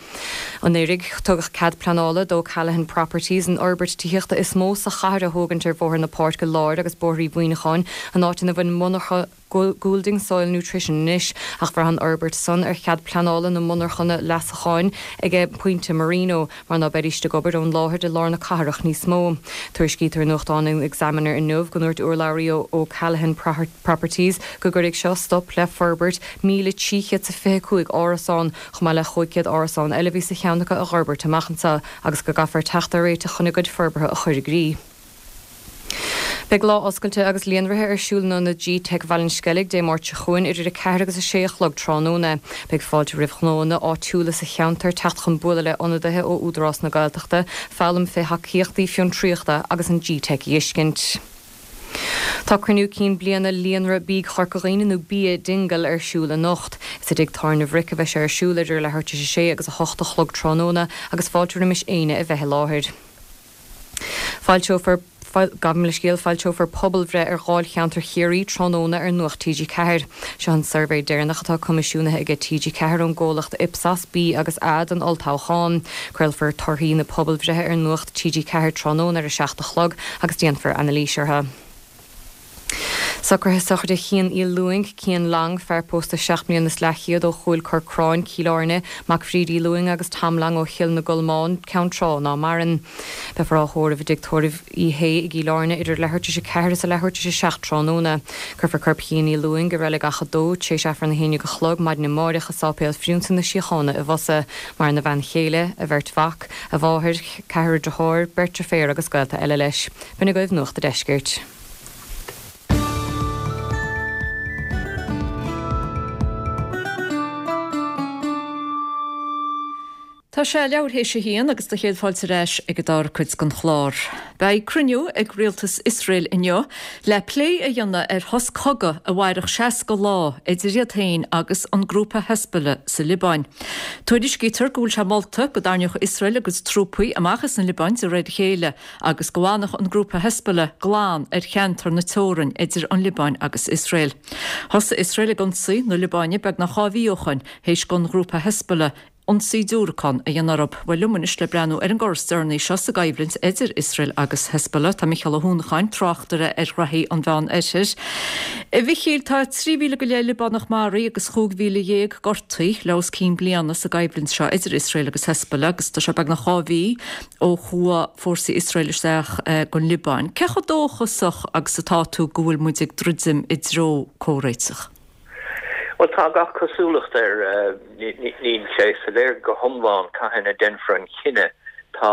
Anuraidh tugadh cead pleanála do Callahan Properties an fhorbairt tithíochta is mó sa chathair a thógaint ar Bhóthar na Páirce Láir agus Bóthar Uí Mhuineacháin, an áit ina bhfuil monarcha Goulding Soil Nutrition anois, ach bhraith an fhorbairt san ar chead pleanála na monarchana leasacháin aige Pointe Marino, mar ná beidís ag obair ón láthair i lár na cathrach níos mó. Tuairiscítear i nuachtán an Examiner inniu go ndúirt urlabhraí ó ó Callahan Properties go gcuirfidh seo stop le forbairt míle trí chéad is fiche cúig árasán, chomh maith le chúig chéad árasán eile a bhí sa cheann acu a fhorbairt amach anseo agus go gcaithfear teacht ar réiteach chun a gcuid forbartha a chur i gcrích. Beidh lá oscailte agus líonraithe ar siúl in ionad G-Teic Bhaile an Sceilg Dé Máirt seo chugainn idir a ceathair agus a sé a chlog tráthnóna. Beidh fáilte roimh ghnóanna áitiúla sa cheantar teacht chun bualadh le ionadaithe ó Údarás na Gaeltachta, foghlaim fé thacaíochtaí fiontraíochta agus an G-Teic a fheiscint. Tá cruinniú cinn bliana líonra bídh Chorca Dhuibhne nó Bia Dingle ar siúl anocht. Is i dTigh Tábhairne Bhric a bheidh sé ar siúl idir leathuair tar éis a sé agus a hocht a chlog tráthnóna agus fáilte roimis éinne a bheith i láthair. Foilseofar Gabh mo leithscéal, foilseofar pobalbhreith ar Dháilcheantar Chiarraí tráthnóna ar Nuacht T G Ceathair. Seo an suirbhé deireanach atá coimisiúnaithe aige T G Ceathair ón gcomhlacht Ipsos B agus A don olltoghchán. Craolfar torthaí na pobalbhreithe ar Nuacht T G Ceathair tráthnóna ar a seacht a chlog agus déanfar anailís orthu. Socruithe sochraide Chian Uí Lúing, Cian Long, fear pósta seacht mbliana is leathchéad ó Chúil Corcráin, Cill Airne, mac Bhríd Uí Lúing agus Tom Long ó Chill na gColmán, Ceann Trá ná maireann. Beifear á thórramh i dTigh Tórraimh Uí Shé i gCill Airne idir leathuair tar éis a ceathair is a leathuair tar éis a seacht tráthnóna. Cuirfear corp Chian Uí Lúing i Reilig Achadh Dó, tar éis Aifreann a haon déag a chlog maidin amáireach i Sáipéal Phriúnsa na Síochána i bhFosa. Maireann a bhean chéile, a bheirt mhac, a mháthair, ceathrar deartháir, beirt deirféar agus gaolta eile leis. B'in agaibh Nuacht an Deiscirt. Tá sé leathuair théis a haon agus do chéad fáilte ar ais ag an dara cuid den chlár. Beidh cruinniú ag rialtas Iosrael inniu le plé a dhéanamh ar shos cogaidh a mhairfeadh seasca lá idir iad féin agus an grúpa Hezbollah sa Liobáin. Tuairiscítear go bhfuil sé molta go dtarraingeodh Iosrael a gcuid trúpaí amach as an Liobáin de réir a chéile agus go bhfanfadh an grúpa Hezbollah glan ar cheantar na teorann idir an Liobáin agus Iosrael. Thosaigh Iosrael ag ionsaí na Liobáine beagnach dhá mhí ó shin théis don ghrúpa Hezbollah ionsaí diúracán a dhéanamh orthu. Bhuel, liom anois le breathnú ar an gcor is deireanaí seo sa gcoimhlint idir Iosrael agus Hezbollah, tá Micheál Ó hUanacháin, tráchtaire ar ghraithí an Mheán Oirthir. A Mhichíl, tá trí mhíle go leith Liobánach maraithe agus chúig mhíle dhéag gortaithe le os cionn bliana sa gcoimhlint seo idir Iosrael agus Hezbollah agus tá sé beagnach dhá mhí ó chuaigh fórsaí Iosrael isteach gon Liobáin. Cé chomh dóchasach agus atá tú go bhfuil muid ag druidim i dtreo comhréiteach? Bhuel, tá gach cosúlacht air. Níl sé soiléir go hiomlán cathain a déanfar an cinneadh. Tá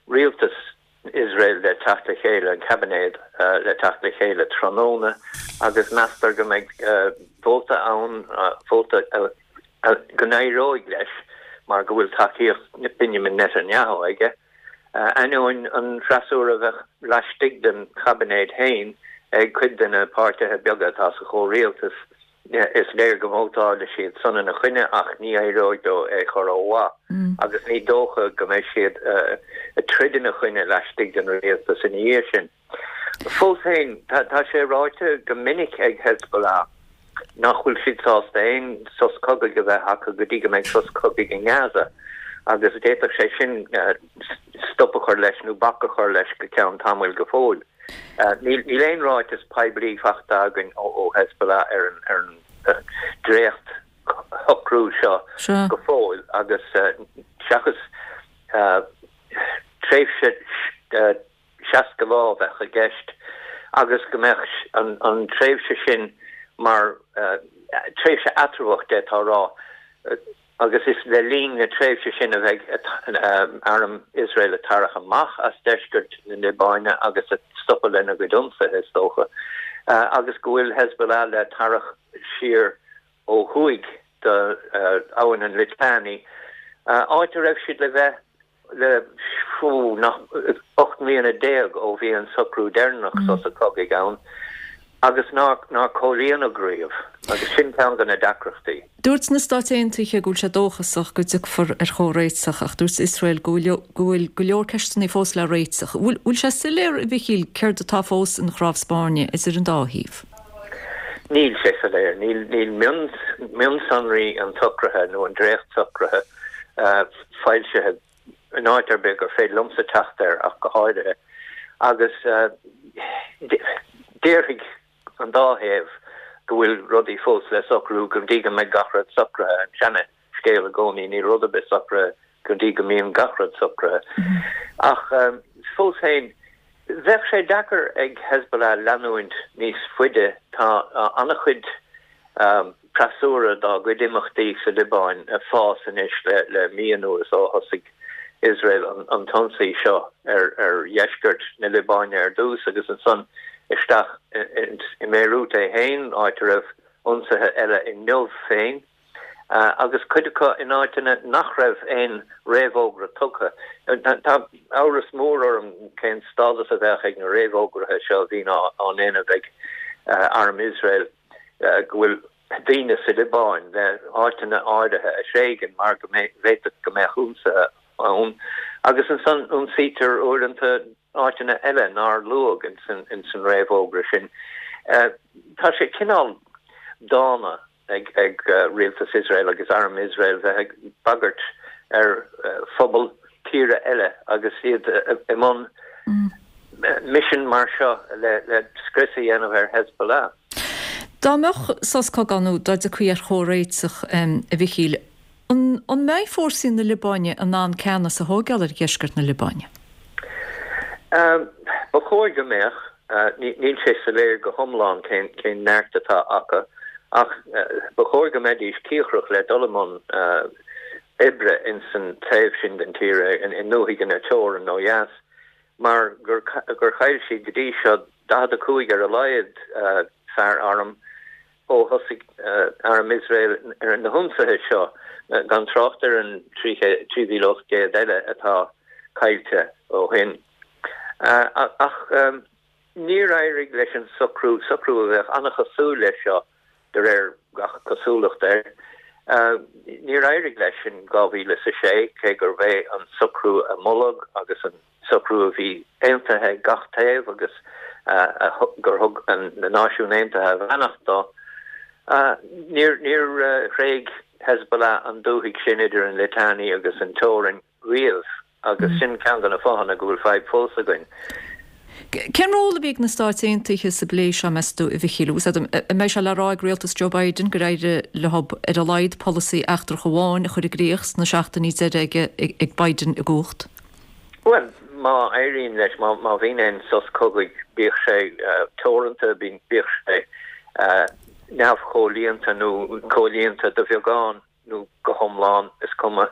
rialtas Iosrael le teacht le chéile, an caibinéad le teacht le chéile tráthnóna agus meastar go mbeidh vóta ann, vóta go n-éireoidh leis mar go bhfuil tacaíocht Benjamin Netanyahu aige, ainneoin an freasúra a bheadh laistigh den chaibinéad féin ag cuid de na páirtithe beaga atá sa chomhrialtas. Is léir go vótálfaidh siad san ina choinne ach ní éireoidh leo é chur ó mhaith agus ní dócha go mbeidh siad ag troid ina choinne laistigh den rialtas ina dhiaidh sin. Fós féin, tá sé ráite go minic ag Hezbollah nach bhfuil siad sásta aon sos cogaidh a bheith acu go dtí go mbeidh sos cogaidh i nGaza agus d'fhéadfadh sé sin stop a chur leis nó bac a chur leis go ceann tamaill go fóill. Níl aon ráiteas poiblí faighte againn ó Hezbollah ar an dréacht-shocrú seo go fóill agus seachas tréimhse seasca lá a bheadh i gceist agus go mbeadh an tréimhse sin mar tréimhse eatramhach d'fhéadfá a rá. Agus is le linn na tréimhse sin a bheidh arm Iosrael ag tarrac amach as deisceart na Liobáine agus ag stopadh lena gcuid ionsaithe, is dócha, agus go bhfuil Hezbollah le tarrac siar ó thuaidh d'Abhainn an Litani, áit a raibh siad le bheith le nach ocht mbliana déag ó bhí an socrú deireanach sosa cogaidh ann agus nár comhlíonadh riamh, agus sin ceann de na deacrachtaí. Dúirt na Stáit Aontaithe go bhfuil sé dóchasach go dtiocfar ar chomhréiteach ach dúirt Iosrael go bhfuil go leor ceisteanna fós le réiteach. Bhfuil sé soiléir, a Mhichíl, céard atá fós ina chnámh spairne idir an dá thaobh? Níl sé soiléir. Níl mionsonraí an tsocraithe nó an dréachtsocraithe foilsithe in áit ar bith gur féidir liomsa teacht air ach go háirithe, agus déarfaidh an dá thaobh go bhfuil rudaí fós le socrú go dtí go mbeidh gach rud socraithe, an seana-scéal i gcónaí, níl rud ar bith socraithe go dtí go mbíonn gach rud socraithe. Ach fós féin, bheadh sé deacair ag Hezbollah leanúint níos faide, tá an-chuid freasúra dá gcuid imeachtaí sa Liobáin ag fás anois le mí anuas ó thosaigh Iosrael an t-ionsaí seo ar dheisceart na Liobáine ar dtús agus ansan isteach i mBéiriút é féin, áit a raibh ionsaithe eile inniu féin agus cuid acu in áiteanna nach raibh aon réamhfhógra tugtha. Tá amhras mór orm cén stádas a bheadh ag na réamhfhógraithe seo a bhíonn á ndéanamh ag arm Iosrael go bhfuil daoine sa Liobáin le áiteanna áirithe a thréigean mar go bhféadfadh go mbeadh ionsaithe ann agus ansan ionsaítear uaireanta áiteanna eile nár luadh ins an réamhfhógra sin. Tá sé cineál dána ag rialtas Iosrael agus arm Iosrael bheith ag bagairt ar phobal tíre eile agus iad i mbun misean mar seo le scrios a dhéanamh ar Hezbollah. Dá mbeadh sos cogaidh nó dá dtiocfaí ar chomhréiteach, a Mhichíl, an mbeidh fórsaí na Liobáine in ann ceannas a thóigeáil ar dheisceart na Liobáine? Ba chóir go mbeadh. Níl sé soiléir go hiomlán cén neart atá acu ach ba chóir go mbeidís cíocrach le dul i mbun oibre ins an taobh sin den tír, i ndúthaigh na teorann ó dheas, mar gur chaill siad go dtí seo daichead a cúig ar a laghad fear airm ó thosaigh arm Iosrael ar na hionsaithe seo, gan trácht ar an trí mhíle ocht gcéad eile atá caillte ó shin. Ach níor éirigh leis an socrú, socrú a bheadh an-chosúil leis seo de réir gach cosúlacht air, níor éirigh leis in dhá mhíle is a sé, cé gurbh é an socrú a moladh agus an socrú a bhí aontaithe ag gach taobh agus gur thug na Náisiúin Aontaithe a bheannacht dó. Níor thréig Hezbollah an dúthaigh sin idir an Litani agus an teorainn riamh agus sin ceann de na fáthanna go bhfuil fadhb fós againn. Cén ról a bhí ag na Stáit Aontaithe sa bplé seo, meas tú, a Mhichíl? An mbeidh sé le rá ag rialtas Joe Biden gur éirigh leo ar a laghad polasaí eachtrach amháin a chur i gcrích sna seachtainí deiridh aige ag Biden i gcumhacht? Bhuel, má éiríonn leis, má bhíonn aon sos cogaidh, bíodh sé teoranta, bíodh sé neamhchomhlíonta nó comhlíonta de bheagán nó go hiomlán, is cuma,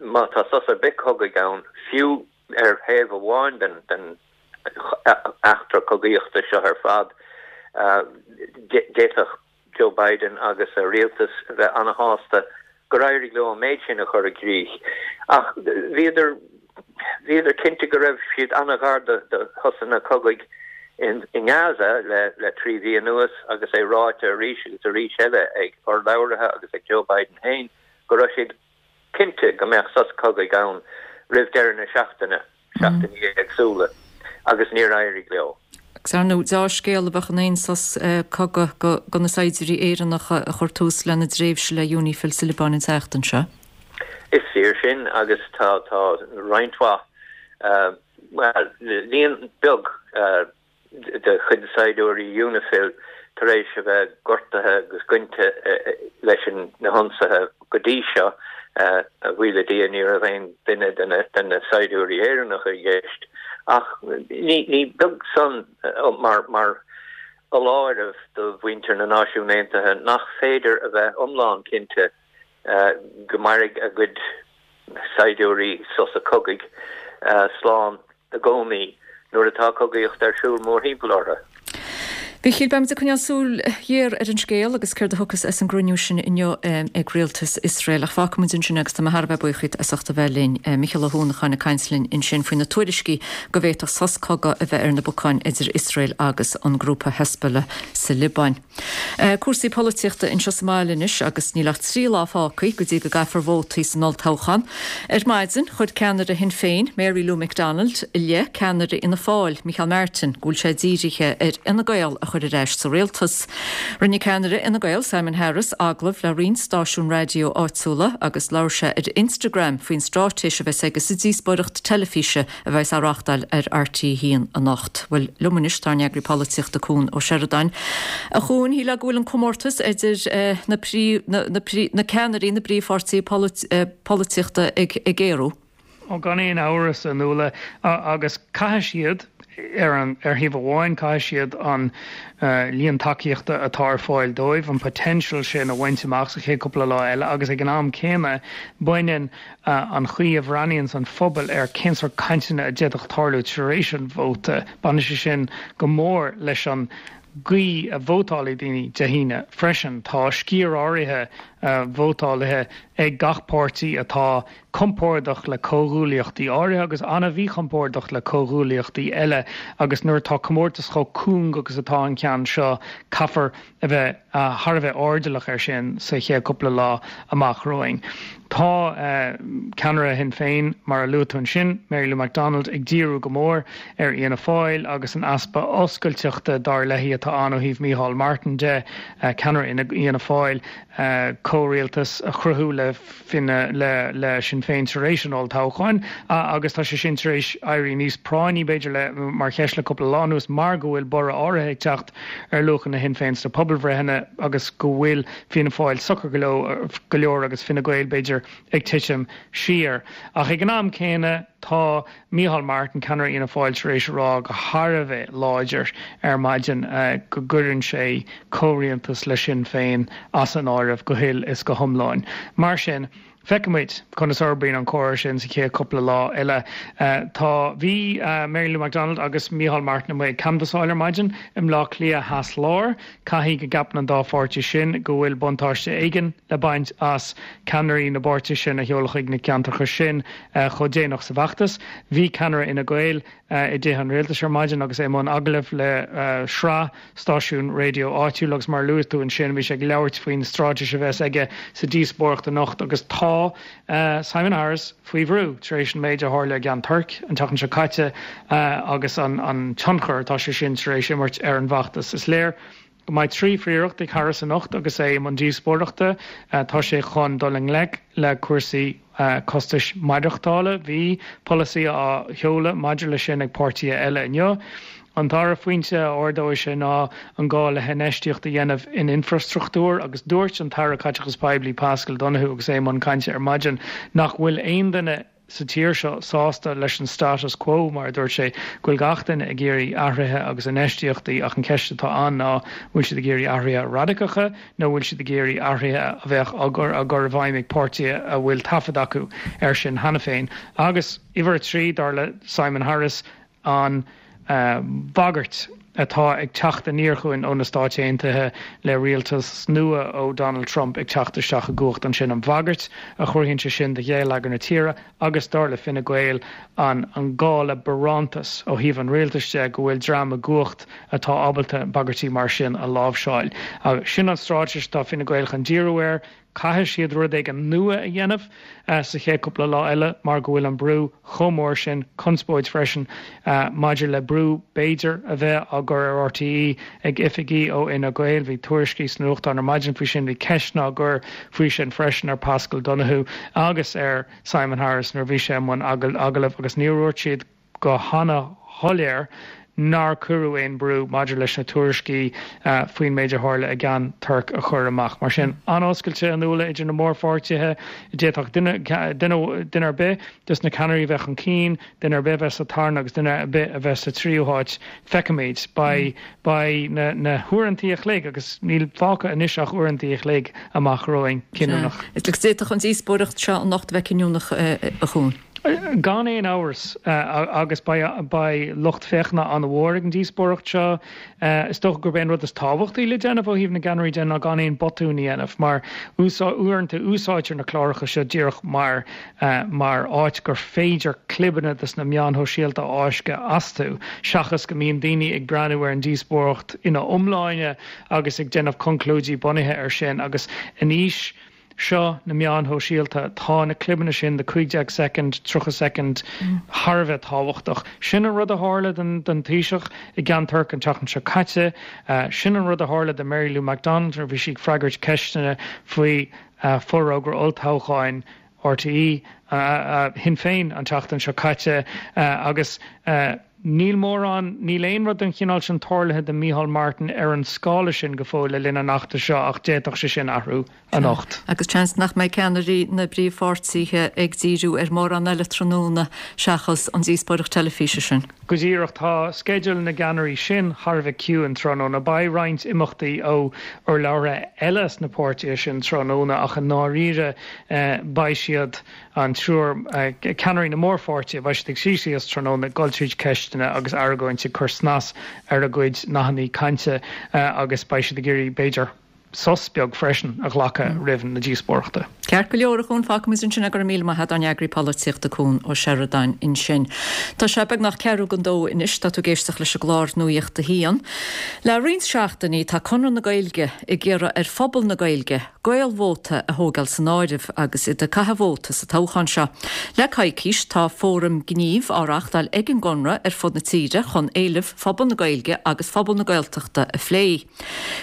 má tá sos ar bith cogaidh ann, fiú ar thaobh amháin den eachtra cogaíochta seo ar fad, d'fhéadfadh Joe Biden agus a rialtas a bheith ana-shásta gur éirigh leo an méid sin a chur i gcrích. Ach bhíodar bhíodar cinnte go raibh siad ana-ghar do shosanna cogaidh i nGaza le trí mhí anuas agus é ráite arís agus arís eile ag urlabhraithe agus ag Joe Biden féin go raibh siad cinnte go mbeadh sos cogaidh ann roimh deireadh na seachtaine, seachtainí éagsúla, agus níor éirigh leo. Agus ar ndóigh, deá-scéal a bheadh in aon sos cogaidh do na saighdiúirí Éireannacha a chuir tús lena dtréimhse le UNIFIL sa Liobáin an tseachtain seo. Is fíor sin agus tá tá roinnt mhaith, bhuel, líon beag, de chuid saighdiúirí UNIFIL tar éis a bheith gortaithe agus gointe leis na hionsaithe go dtí seo. A bhuí le Dia ní raibh aon duine de na saighdiúirí Éireannacha i gceist ach ní beag san mar mar fholáireamh do mhuintir na Náisiún Aontaithe nach féidir a bheith iomlán cinnte go mairfidh a gcuid saighdiúirí sosa cogaidh slán i gcónaí nuair atá cogaíocht ar siúl mórthimpeall orthu. Mhichíl, beimid ag coinneáil súil ghéar ar an scéal agus céard a thiocfas as an gcruinniú sin inniu ag rialtas Iosrael. Ach fágfaimid ansin é agus tá mé thar a bheith buíoch díot as ucht a bheith linn. Micheál Ó hUanacháin ag caint linn ansin faoi na tuairiscí go bhféadfadh sos cogaidh a bheith ar na bacáin idir Iosrael agus an grúpa Hezbollah sa Liobáin. Cúrsaí polaitíochta anseo sa mbaile anois agus níl ach trí lá fágtha go dtí go gcaithfear vótaí san olltoghchán. Ar maidin, chuir ceannaire Shinn Féin, Mary Lou McDonald, i leith ceannaire Fhianna Fáil, Micheál Martin, go bhfuil sé dírithe ar Fhine Gael a chur ar ais sa rialtas. Rinne ceannaire Fhine Gael, Simon Harris, agallamh le roinnt stáisiún raidió áitiúla agus labhair sé ar Instagram faoin straitéis a bheas aige sa díospóireacht teilifíse a bheas á reáchtáil ar R T a haon anocht. Bhuel, liom anois tá ár n-eagraí polaitíochta Cuan Ó Seireadáin. A Chuain, shílfeá go bhfuil an comórtas idir na na ceannairí na bpríomhpháirtithe polaitíochta ag géarú. Ó gan aon amhras, a Nuala, agus caithfidh siad, ar an ar thaobh amháin, caithfidh siad an líon tacaíochta atá ar fáil dóibh, an potential sin a bhaint amach sa chéad cúpla lá eile agus ag an am céanna baineann an chaoi a bhreathnaíonns an phobal ar cén sórt cainteanna a d'fhéadfadh tarlú tar éis an vóta, baineann sé sin go mór leis an gcaoi a vótálfaidh daoine Dé hAoine freisin. Tá sciar áirithe vótálaithe ag gach páirtí atá compordach le comhghuaillíochtaí áirithe agus an-mhíchompordach le comhghuaillíochtaí eile agus nuair atá comórtas chomh cúng agus atá an ceann seo, caithfear a bheith thar a bheith airdeallach air sin sa chéad cúpla lá amach romhainn. Tá ceannaire Shinn Féin, mar a luaigh tú ansin, Mary Lou McDonald, ag díriú go mór ar Fhianna Fáil agus an easpa oscailteachta, dar léi, atá ann ó thaobh Micheál Martin de, ceannaire Fhianna Fáil, comhrialtas a chruthú le le Sinn Féin tar éis an olltoghcháin agus tá sé sin tar éis éirí níos práinní, b'fhéidir, le mar cheist le cúpla lá anuas mar go bhfuil borradh áirithe ag teacht ar luachanna Shinn Féin sna pobalbhreitheanna agus go bhfuil Fianna Fáil socair go leor agus Fine Gael, b'fhéidir, ag titim siar. Ach ag an am céanna tá Micheál Martin, ceannaire Fhianna Fáil, tar éis a rá go thar a bheith láidir ar maidin go gcuireann sé comhrialtas le Sinn Féin as an áireamh go huile is go hiomlán. Mar sin, feicfimid conas a fhorbraíonn an comhrá sin sa chéad cúpla lá eile. Tá, bhí Mary Lou McDonald agus Micheál Martin amuigh ag canbhasáil ar maidin i mBleá Cliath Theas Láir. Caithfidh go gceapann an dá pháirtí sin go bhfuil buntáiste éigin le baint as ceannairí na bpáirtithe sin a sheoladh chuig na ceantracha sin chomh déanach sa bhfeachtas. Bhí ceannaire Fhine Gael i dTithe an Rialtais ar maidin agus é i mbun agallaimh le sraith stáisiún raidió áitiúil agus mar a luaigh tú ansin bhí sé ag labhairt faoin straitéis a bheas aige sa díospóireacht anocht agus tá Simon Harris faoi bhrú tar éis an méid a tharla i gCeann Toirc an tseachtain seo caite agus an tionchar atá sé sin tar éis imirt ar an bhfeachtas. Is léir go mbeidh trí phríoracht ag Harris anocht agus é i mbun díospóireachta. Tá sé chun dul i ngleic le cúrsaí costais maireachtála. Bhí polasaí á sheoladh maidir leis sin ag páirtithe eile inniu. An dara pointe a ardóidh sé ná an gá le hinfheistíocht a dhéanamh in infrastruchtúr agus dúirt an tAire Caiteachais Poiblí Paschal Donohoe agus é i mbun cainte ar maidin nach bhfuil aon duine sa tír seo sásta leis an status quo, mar a dúirt sé, go bhfuil gach duine ag iarraidh athruithe agus infheistíochtaí ach an cheist atá ann ná bhfuil siad ag iarraidh athruithe radacacha nó bhfuil siad ag iarraidh athruithe a bheadh á gcur i bhfeidhm ag páirtithe a bhfuil taifead acu air sin cheana féin. Agus uimhir a trí, dar le Simon Harris, an bhagairt atá ag teacht aniar chugainn ó na Stáit Aontaithe le rialtas nua ó Donald Trump ag teacht isteach i gcumhacht ansin, an bhagairt a chruthaíonn sé sin do gheilleagar na tíre agus dar le Fine Gael an an gá le barántas ó thaobh an rialtais de go bhfuil dream i gcumhacht atá ábalta bagairtí mar sin a láimhseáil. Agus sin an straitéis atá Fine Gael chun díriú air. Caithfidh siad rud éigin nua a dhéanamh sa chéad cúpla lá eile mar go bhfuil an brú chomh mór sin, conspóid freisin maidir le brú b'fhéidir a bheith á gcur ar RTÉ ag oifigigh ó Fhine Gael. Bhí tuairiscí sna nuachtáin ar maidin faoi sin, bhí ceisteanna á gcur faoi sin freisin ar Paschal Donohoe agus ar Simon Harris nuair a bhí sé i mbun agallaimh agus níor dhúirt siad go hana-shoiléir nár cuireadh aon brú maidir leis na tuairiscí faoin méid a tharla i gCeann Toirc a chur amach. Mar sin, an-oscailte a Nuala idir na mórpháirtithe. D'fhéadfadh duine, duine, duine ar bith des na ceannairí a bheith chun cinn, duine ar bith a bheith sa tarna agus duine ar bith a bheith sa tríú háit. Feicfimid. Beidh, beidh na, na huaireantaí a chloig, agus níl fágtha anois ach uaireantaí a chloig amach romhainn, cinniúnach. Agus d'fhéadfadh an díospóireacht seo anocht a bheith cinniúnach, a Chuain. Gan aon amhras, agus beidh lucht féachana an-mhór ag an díospóireacht seo. Is dócha gurb é an rud is tábhachtaí le déanamh ó thaobh na gceannairí de ná gan aon botún a dhéanamh, mar uaireanta úsáidtear na cláracha seo díreach mar mar áit gur féidir clibeanna des na meáin shóisialta a fháisceadh astu, seachas go mbíonn daoine ag breathnú ar an díospóireacht ina iomláine agus ag déanamh conclúidí bunaithe air sin. Agus in aois seo na meáin shóisialta, tá na clibeanna sin de cúig déag soicind, tríocha soicind thar a bheith tábhachtach. Sin an rud a tharla don Taoiseach i gCeann Toirc an tseachtain seo caite. Sin an rud a tharla do Mary Lou McDonald nuair a bhí sí ag freagairt ceisteanna faoi forógra olltoghcháin RTÉ Shinn Féin an tseachtain seo caite agus níl mórán, níl aon rud den chineál sin tarlaithe do Micheál Martin ar an scála sin go fóill le linn an fheachtais seo ach d'fhéadfadh sé sin athrú anocht. Agus seans nach mbeidh ceannairí na bpríomhpháirtithe ag díriú ar mórán eile tráthnóna seachas an díospóireacht teilifíse sin. Go díreach, tá sceideal na gceannairí sin thar a bheith ciúin tráthnóna. Beidh roinnt imeachtaí ó urlabhraithe eile sna páirtithe sin tráthnóna ach i ndáiríre beidh siad, an triúr ceannairí na mórpháirtithe, beidh siad ag suí síos tráthnóna ag dul tríd ceisteanna agus argóint, ag cur snas ar a gcuid nathanna cainte agus beidh siad ag iarraidh, b'fhéidir, sos beag freisin a ghlacadh roimh na díospóireachta. Ceart go leor, a Chuain, fágfaimid ansin é. Go raibh míle maith agat, ár n-eagraí polaitíochta Cuan Ó Seireadáin ansin. Tá sé beagnach ceathrú don dó anois, tá tú ag éisteacht leis an gclár Nuacht a hAon. Le roinnt seachtainí tá Conradh na Gaeilge ag iarraidh ar phobal na Gaeilge Gaelvóta a thógáil san áireamh agus iad ag caitheamh vóta sa toghchán seo. Le coicís tá fóram gnímh á reáchtáil ag an gConradh ar fud na tíre chun éilimh phobal na Gaeilge agus phobal na Gaeltachta a phlé.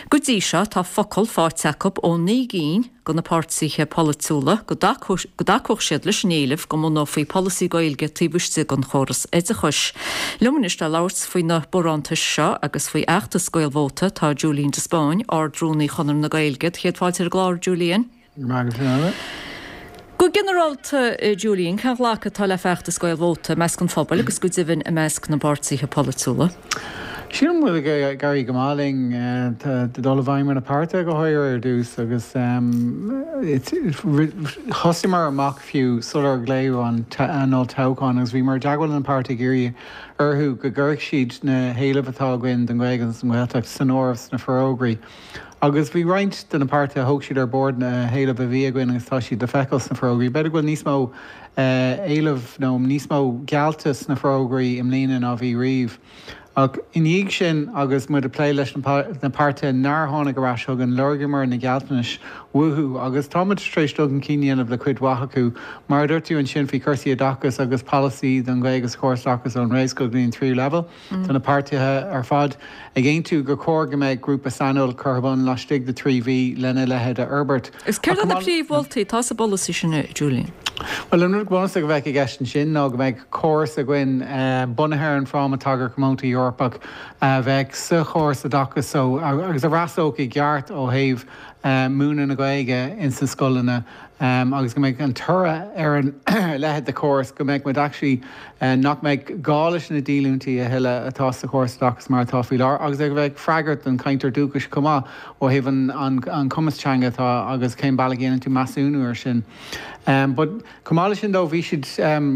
Go dtí seo tá focal faighte acu ó naoi gcinn de na páirtithe polaitiúla go dtacódh siad leis an éileamh go mbunófaí polasaí Gaeilge taobh istigh den chóras oideachais. Liom anois le labhairt faoi na barántais seo agus faoi fheachtas Gaelvóta tá Julian de Spáinn, Ard-Rúnaí Chonradh na Gaeilge. Céad fáilte ar an gclár, Julian. Go raibh maith agat. Go ginearálta, Julian, cén ghlacadh atá le feachtas Gaelvóta i measc an phobail agus go deimhin i measc na bpáirtithe polaitiúla? Sílim go bhfuil ag éirí go maith linn. Tá dul i bhfeidhm ar na páirtithe go háirithe ar dtús agus thosaíomar amach fiú sular glaodh an olltoghchán agus bhíomar i dteagmháil le na páirtithe ag iarraidh orthu go gcuirfeadh siad na héilimh atá againn don Ghaeilge agus don Ghaeltacht san áireamh sna forógraí. Agus bhí roinnt de na páirtithe, thóg siad ar bord na héilimh a bhí againn agus tá siad le feiceáil sna forógraí. B'fhéidir go bhfuil níos mó éileamh nó níos mó geallta sna forógraí i mbliana ná bhí riamh. Ach i ndiaidh sin agus muid ag plé leis na páirtithe nár tháinig ar ais chugainn, lorgaíomar na gealltanais uathu agus tá muid tar éis dul chun cinn a dhéanamh le cuid mhaith acu. Mar a dúirt tú ansin faoi chúrsaí oideachais agus polasaí don Ghaeilge sa chóras oideachais ón réamhscoil go dtí an tríú leibhéal, tá na páirtithe ar fad ag aontú gur chóir go mbeadh grúpa saineolais curtha ar bun laistigh de trí mhí lena leithéid a fhorbairt. Is céard iad na príomh-mholtaí atá sa bpolasaí sin, a Julian? Bhuel, an rud bunúsach a bheadh i gceist ansin ná go mbeadh córas againn bunaithe ar an Fhráma Tagartha Comónta Eorpach a bheadh sa chóras oideachais so agus a fhreastalódh i gceart ó thaobh múineadh na Gaeilge ins na scoileanna agus go mbeadh an toradh ar a leithéid de chóras go mbeadh muid actually nach mbeadh gá leis na díolúintí a thuilleadh atá sa chóras oideachais mar atá faoi láthair agus go mbeadh freagairt don chainteoir dúchais chomh maith ó thaobh an cumas teanga atá agus cén bealach a dhéanann tú measúnú ar sin. But chomh maith leis sin though bhí siad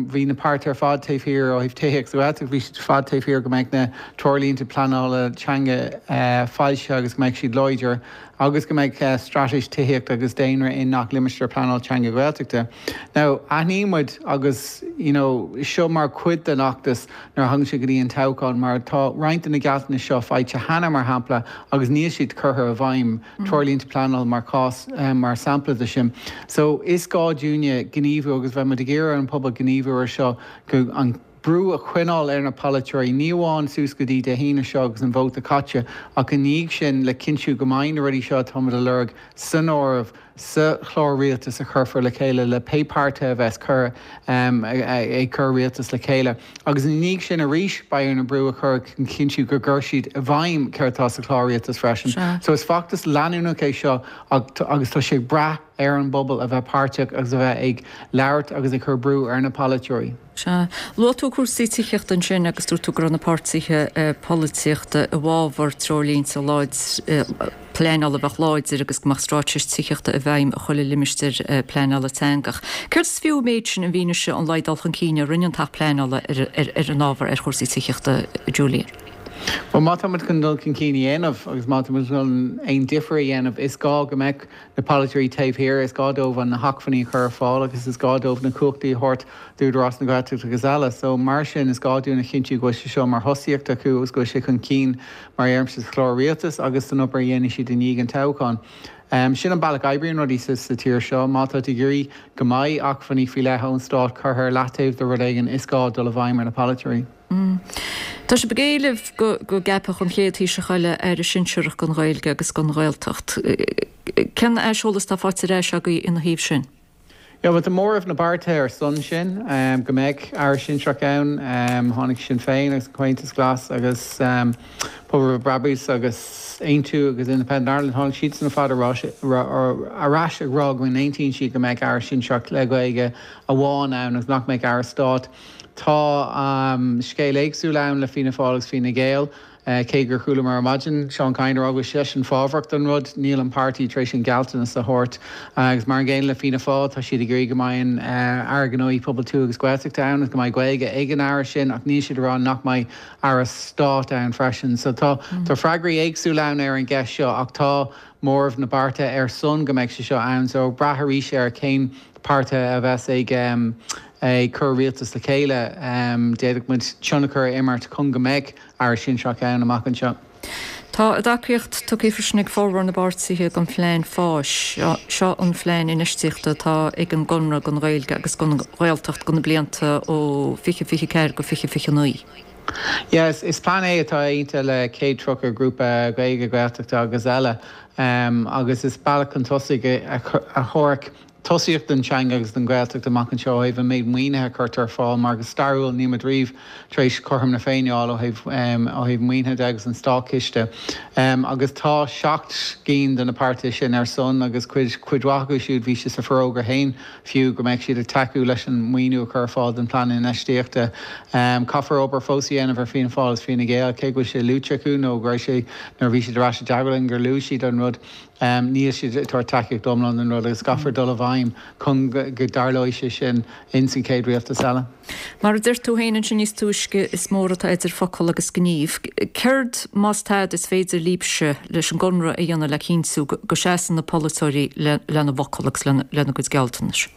bhí na páirtithe ar fad taobh thiar ó thaobh tithíocht sa Ghaeltacht bhí siad ar fad taobh thiar go mbeadh na treoirlínte pleanála teanga foilsithe agus go mbeadh siad láidir agus go mbeadh straitéis tithíochta agus daonra i ngach limistéar pleanála teanga Gaeltachta. Now, aithníonn muid agus, you know, seo mar chuid den fheachtas nuair a thagann sé go dtí an toghchán mar tá roinnt de na gealltanais seo faighte cheana, mar shampla, agus níl siad curtha i bhfeidhm, treoirlínte pleanála mar chás, mar sampla de sin. So, is gá dúinne gníomhú agus beidh muid ag iarraidh ar an pobal gníomhú ar seo go an brú a choinneáil ar na polaiteoirí, ní amháin suas go dtí Dé hAoine seo agus an vóta caite, ach i ndiaidh sin le cinntiú go mbeidh na rudaí seo atá muid a lorg san áireamh sa chlár rialtais a chuirfear le chéile le pé páirtithe a bheas cur ag cur rialtas le chéile. Agus i ndiaidh sin arís beidh orainn brú a chur chun cinntiú go gcuirfidh siad i bhfeidhm céard atá sa chlár rialtais freisin. So is feachtas leanúnach é seo agus tá sé ag brath ar an bpobal a bheith páirteach agus a bheith ag labhairt agus ag cur brú ar na polaiteoirí. Sea. Luaigh tú cúrsaí tithíochta ansin agus dúirt tú go raibh na páirtithe polaitíochta i bhfabhar treoirlínte pleanála a bheadh láidir agus go mbeadh straitéis tithíochta i bhfeidhm i chuile limistéar pleanála teangach. Céard is fiú an méid sin i bhfianaise an laghad dul chun cinn a rinne an tAcht Pleanála ar an ábhar ar chúrsaí tithíochta, Julian? Bhuel, má tá muid chun dul chun cinn a dhéanamh agus má tá muid chun aon difear a dhéanamh, is gá go mbeadh na polaiteoirí taobh thiar, is gá dóibh na hacmhainní a chur ar fáil agus is gá dóibh na cumhachtaí a thabhairt d'Údarás na Gaeltachta agus eile. So, mar sin, is gá dúinn a chinntiú go bhfuil sé seo mar thosaíocht acu agus go bhfuil sé chun cinn mar a deirimse sa chlár rialtais agus san obair a dhéanfaidh siad i ndiaidh an toghcháin. Sin an bealach a oibríonn rudaí sa tír seo. Má tá tú ag iarraidh go mbeidh acmhainní faoi leith ón stát curtha ar leataobh do rud éigin, is gá dul i bhfeidhm ar na polaiteoirí. Tá sibh ag éileamh go gceapfadh an chéad Taoiseach eile Aire Sinsearach don Ghaeilge agus don Ghaeltacht. Cén aiseolas atá faighte ar ais agaibh ina thaobh sin? Yeah, bhuel, tá móramh na bpáirtithe ar son sin, go mbeadh Aire Sinsearach ann. Tháinig Sinn Féin agus an Comhaontas Glas agus Pobal Roimh Brabús agus Aontú agus Independent Ireland, tháinig siadsan ar fad ar ais ag rá go n-aontaíonn siad go mbeadh Aire Sinsearach le Gaeilge amháin ann agus nach mbeadh Aire Stáit. Tá scéal éagsúil ann le Fianna Fáil agus Fine Gael. Cé gur chualamar ar maidin Seán Kyne ag rá go bhfuil seisean fábhrach don rud, níl an páirtí tar éis an gealltanas a thabhairt. Agus mar an gcéanna le Fianna Fáil, tá siad ag iarraidh go mbeidh an Aire Gnóthaí Pobail Tuaithe agus Gaeltachta ann agus go mbeidh Gaeilge ag an Aire sin ach níl siad ag rá nach mbeidh Aire Stáit ann freisin. So tá freagraí éagsúla ann ar an gceist seo ach tá móramh na bpáirtithe ar son go mbeidh sé seo ann. So ag brath arís ar cén páirtithe a bheas ag ag cur rialtas le chéile, d'fhéadfadh muid tionchar a imirt chun go mbeidh Aire Sinsearach ann amach anseo. Tá a dtacaíocht tugtha freisin ag formhór na bpáirtithe don phlean fáis. Seo an phlean infheistíochta atá ag an gConradh don Ghaeilge agus don Ghaeltacht do na blianta ó fiche fiche ceathair go fiche fiche naoi. Yes, is plean é atá aontaithe le céad tríocha grúpa Gaeilge, Gaeltachta agus eile agus is bealach chun tosaigh a thabharfadh tosaíocht don teanga agus don Ghaeltacht amach anseo ó thaobh an méid maoinithe a chuirtear ar fáil mar go stairiúil níl muid riamh tar éis cothrom na Féinne a fháil ó thaobh ó thaobh maoinithe de agus an státchiste agus tá seacht gcinn de na páirtithe sin ar son agus cuid cuid mhaith acu siúd bhí sé sa forógra féin fiú go mbeadh siad ag tacú leis an maoiniú a chur ar fáil don phlean infheistíochta. Caithfear obair fós a dhéanamh ar Fianna Fáil agus Fine Gael cé go bhfuil sé luaite acu nó go raibh sé nuair a bhí siad ar ais i dteagmháil linn gur luaigh siad an rud. Níl siad ag tabhairt tacaíocht iomlán don rud agus caithfear dul i bhfeidhm chun go dtarlóidh sé sin ins an chéad rialtas eile. Mar a deir tú féin ansin níos túisce, is mór atá idir focal agus gníomh. Céard, más tada, is féidir libhse, leis an gConradh, a dhéanamh le cinntiú go seasann na polaiteoirí lena bhfocal agus lena gcuid gealltanais?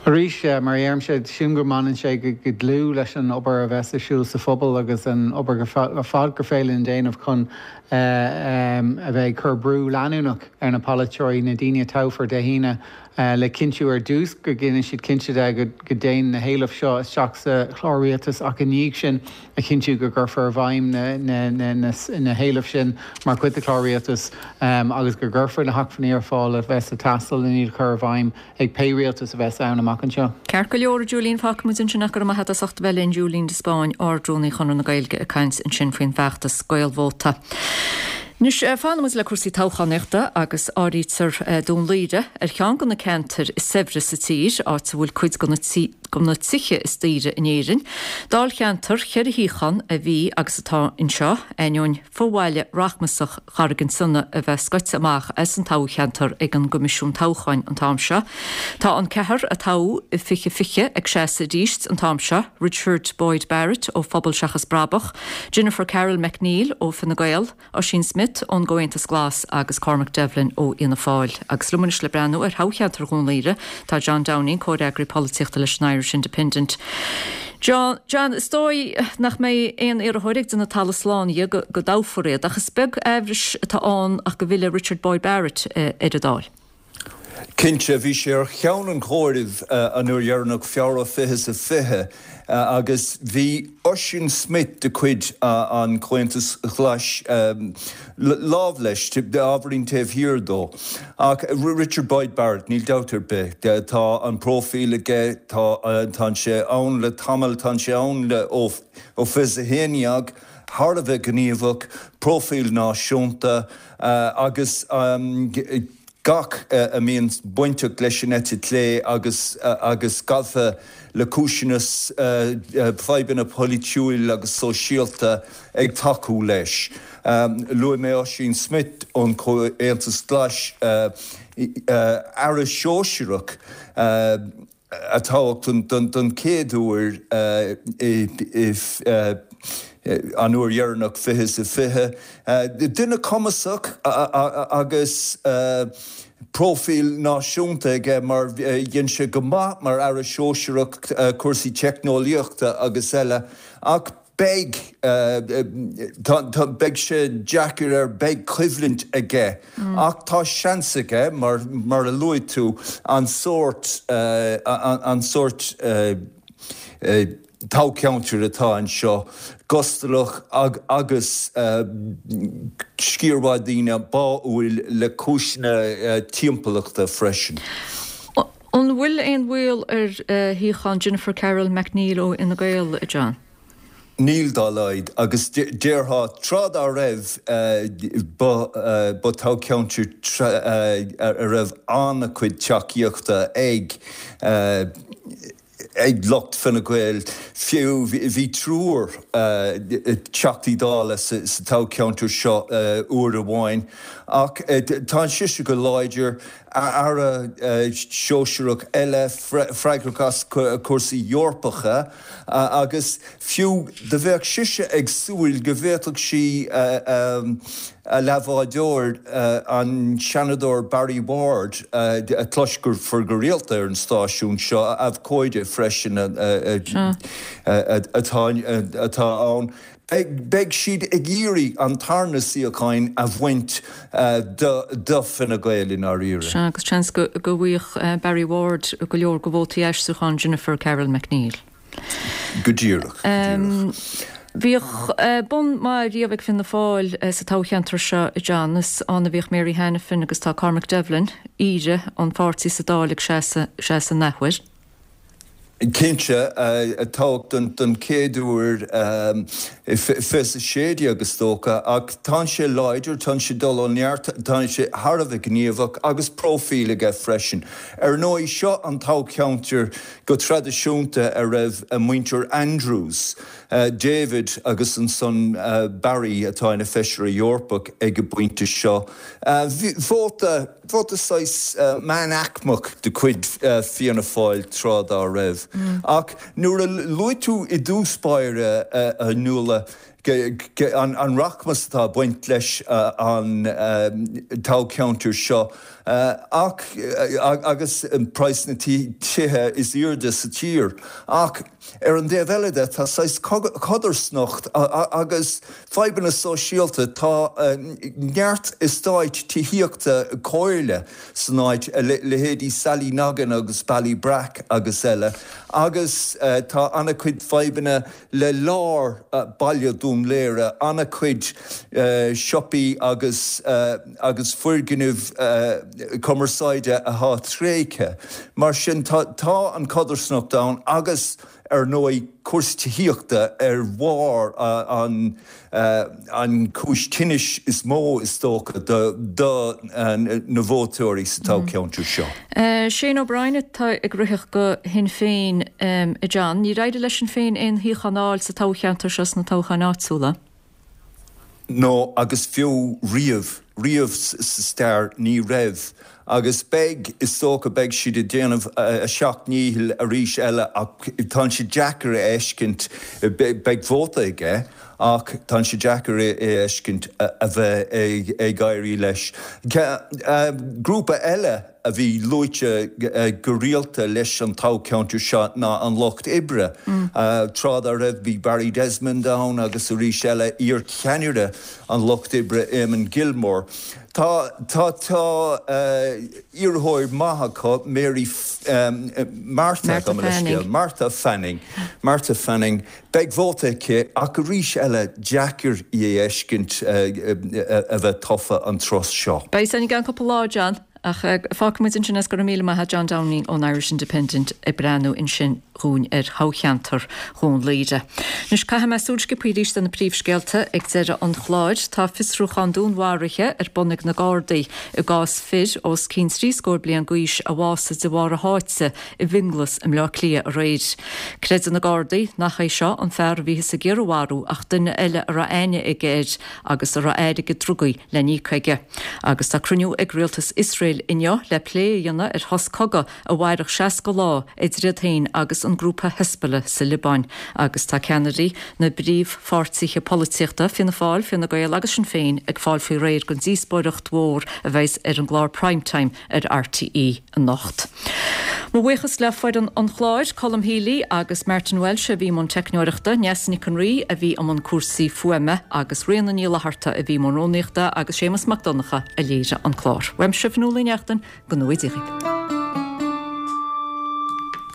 Arís, mar a deirimse, sílim go mbaineann sé go dlúth leis an obair a bheas ar siúl sa phobal agus an obair ar fad gur féidir linn déanamh chun a bheith ag cur brú leanúnach ar na polaiteoirí, na daoine a toghfar Dé hAoine, le cinntiú ar dtús go ndéanann siad cinnte de go dtéann na héilimh seo isteach sa chlár rialtais ach i ndiaidh sin a chinntiú go gcuirfear i bhfeidhm na héilimh sin mar chuid de chlár rialtais agus go gcuirfear na hacmhainní ar fáil a bheas ag teastáil len iad a chur i bhfeidhm ag pé rialtas a bheas ann amach anseo. Ceart go leor, a Julian, fágfaidh muid ansin ach go raibh maith agat as ucht a bheith linn, Julian de Spáinn, Ard-Rúnaí Chonradh na Gaeilge ag caint ansin faoin bhfeachtas Gaelvóta. Anois, fanfaidh muid le cúrsaí toghchánaíochta agus áirítear Dún Laoghaire ar cheann de na ceantair is saibhre sa tír, áit a bhfuil cuid de na tithe is daoire in Éirinn. Dáilcheantar cheithre shuíochán a bhí agus atá anseo, ainneoin fo-bhaile rachmasach Charraig an tSionnaigh a bheith scoite amach as an toghcheantar ag an gCoimisiún Toghcháin an t-am seo. Tá an ceathrar a toghadh i fiche fiche ag seasamh arís an t-am seo, Richard Boyd Barrett ó Phobal Seachas Brabach, Jennifer Carroll MacNeill ó Fine Gael, Ossian Smyth ón gComhaontas Glas agus Cormac Devlin ó Fhianna Fáil. Agus liom anois le breathnú ar thoghcheantar Dhún Laoghaire tá John Downing, comhfhreagraí polaitíochta leis an Irish Independent. John, John, is dóigh nach mbeidh aon iarrthóir ag déanamh talamh slán dhe go dtoghfar iad, ach is beag aimhreas atá ann ach go bhfillfidh Richard Boyd Barrett ar an Dáil. Cinnte, bhí sé ar cheann an chomhairimh an uair dheireanach, Feabhra fiche is a fiche, agus bhí Ossian Smyth de chuid an Chomhaontais Ghlais lámh leis, ábhairín taobh thiar dó. Ach Richard Boyd Barrett, níl dabht ar bith, tá an próifíl aige, tá tá sé ann le tamall, tá sé ann le ó ó fiche is a haon dhéag, thar a bheith gníomhach, próifíl náisiúnta agus gach a mbíonn bainteach leis an eite chlé agus agus gafa le cúiseanna fadhbanna polaitiúil agus sóisialta ag tacú leis. Luaigh mé Ossian Smyth ón Chomhaontas Glas, Aire Sóisearach, a toghadh don chéad uair an uair dheireanach fiche is a fiche. Duine cumasach agus próifíl náisiúnta aige mar dhein sé go maith mar Aire Sóisearach cúrsaí teicneolaíochta agus eile ach Beidh, tá, beidh sé deacair air, beidh coimhlint aige ach tá seans aige, mar, mar a luaigh tú, an sórt, an sórt toghcheantair atá anseo, gustalach agus sciar mhaith daoine báúil le cúiseanna timpeallachta freisin. An bhfuil aon bhaol ar shuíochán Jennifer Carroll MacNeill ó Fhine Gael, a John? Níl dá laghad, agus déarfá tráth dá raibh, ba toghcheantar a raibh an-chuid tacaíochta ag ag lucht Fine Gael, fiú bhí triúr Teachtaí Dála sa toghcheantar seo uair amháin, ach tá sise go láidir, Aire sóisearach eile freagrach as cúrsaí Eorpacha agus fiú do bheadh sise ag súil go bhféadfadh sí a leathbhádóir, an Seanadóir Barry Ward, a chloisfear go rialta ar an stáisiún seo, abhcóide freisin atá ann. Beidh siad ag iarraidh an tarna suíochán a bhaint do Fine Gael i ndáiríre. Sea, agus seans go bhfaigheadh Barry Ward go leor de vótaí aistriúcháin Jennifer Carroll MacNeill. Go díreach, go díreach. Bhíodh bun maith riamh ag Fianna Fáil sa toghcheantar seo, a John. Is ann a bhíodh Mary Hanafin agus tá Cormac Devlin, aoire an pháirtí sa Dáil ag seasamh an athuair. Cinnte, toghadh don chéad uair i fiche is a sé déag is dócha, ach tá sé láidir, tá sé ag dul ó neart, tá sé thar a bheith gníomhach agus próifíl aige freisin. Ar ndóigh, seo an toghcheantar go traidisiúnta a raibh muintir Andrews, David agus ansan Barry atá ina Feisire Eorpach ag an bpointe seo. Vóta. Vóta saghas meánaicmeach de chuid Fianna Fáil tráth dá raibh. Ach nuair a luaigh tú i dtús báire, a Nuala, an rachmas atá ag baint leis an toghcheantar seo ach agus praghas na tithe is airde sa tír. Ach ar an dtaobh eile de, tá saghas codarsnacht agus fadhbanna sóisialta, tá neart eastáit tithíochta comhairle san áit, leithéidí Sallynoggin agus Ballybrack agus eile, agus tá an-chuid fadhbanna le lár baile Dún Laoghaire, an-chuid siopaí agus agus foirgnimh cumarsáide atá tréigthe. Mar sin tá tá an codarsnacht ann agus ar ndóigh cúrsaí tithíochta ar bharr an an cúis tinnis is mó is dócha do do na vótóirí sa toghcheantar seo. Shane O'Brien atá ag ritheadh do Shinn Féin a John. Níor éirigh le Sinn Féin aon shuíochán a fháil sa toghcheantar seo sna toghcháin áitiúla. No, agus fiú riamh, riamh sa stair ní raibh. Agus beidh, is dócha, beidh siad ag déanamh a seacht ndícheall arís eile ach tá sé deacair a fheiscint, beidh vóta aige ach tá sé deacair a fheiscint a bheith ag éirí leis. Grúpa eile a bhí luaite go rialta leis an toghcheantar seo ná an Lucht Oibre. Tráth dá raibh bhí Barry Desmond ann agus arís eile iar-cheannaire an Lucht Oibre Eamon Gilmore. Tá tá tá iarrthóir maith acu, Mary Martha, gabh mo leithscéal, Martha Fanning, Martha Fanning. Beidh vóta aici ach arís eile deacair í a fheiscint a bheith tofa an turas seo. Beidh san i gceann cúpla lá, John. Ach fágfaimid ansin é, go raibh míle maith agat John Downing ón Irish Independent ag breathnú ansin dhúinn ar thoghcheantar Dhún Laoghaire. Anois caithfidh mé súil sciobtha arís ar na príomhscéalta ag deireadh an chláir. Tá fiosrúchán dúnmharaithe ar bun ag na Gardaí i gcás fir os cionn trí scór bliain d'aois a bhásaigh de bharr a sháite i bhFionnghlas i mBleá Cliath aréir. Creideann na Gardaí nach é seo an fear a bhíothas ag iarraidh a mharú ach duine eile a raibh aithne aige air agus a raibh airgead drugaí le n-íoc aige. Agus tá cruinniú ag rialtas Iosrael inniu le plé a dhéanamh ar shos cogaidh a mhairfeadh seasca lá idir iad féin agus an grúpa Hezbollah sa Liobáin. Agus tá ceannairí na bpríomhpháirtithe polaitíochta, Fianna Fáil, Fine Gael agus Sinn Féin ag fáil faoi réir don díospóireacht mhór a bheas ar an gclár Prime Time ar RTÉ anocht. Mo bhuíochas le foireann an chláir, Colm Healy agus Martin Walsh a bhí i mbun teicneoireachta, Neasa Nic an Rí a bhí i mbun cúrsaí fuaime agus Ríona Ní Fhlatharta a bhí i mbun rúnaíochta agus Séamus Mac Donncha a léirigh an clár. Uaimse Fionnuala Ní Neachtain, go ngnóthaí Dia dhaoibh.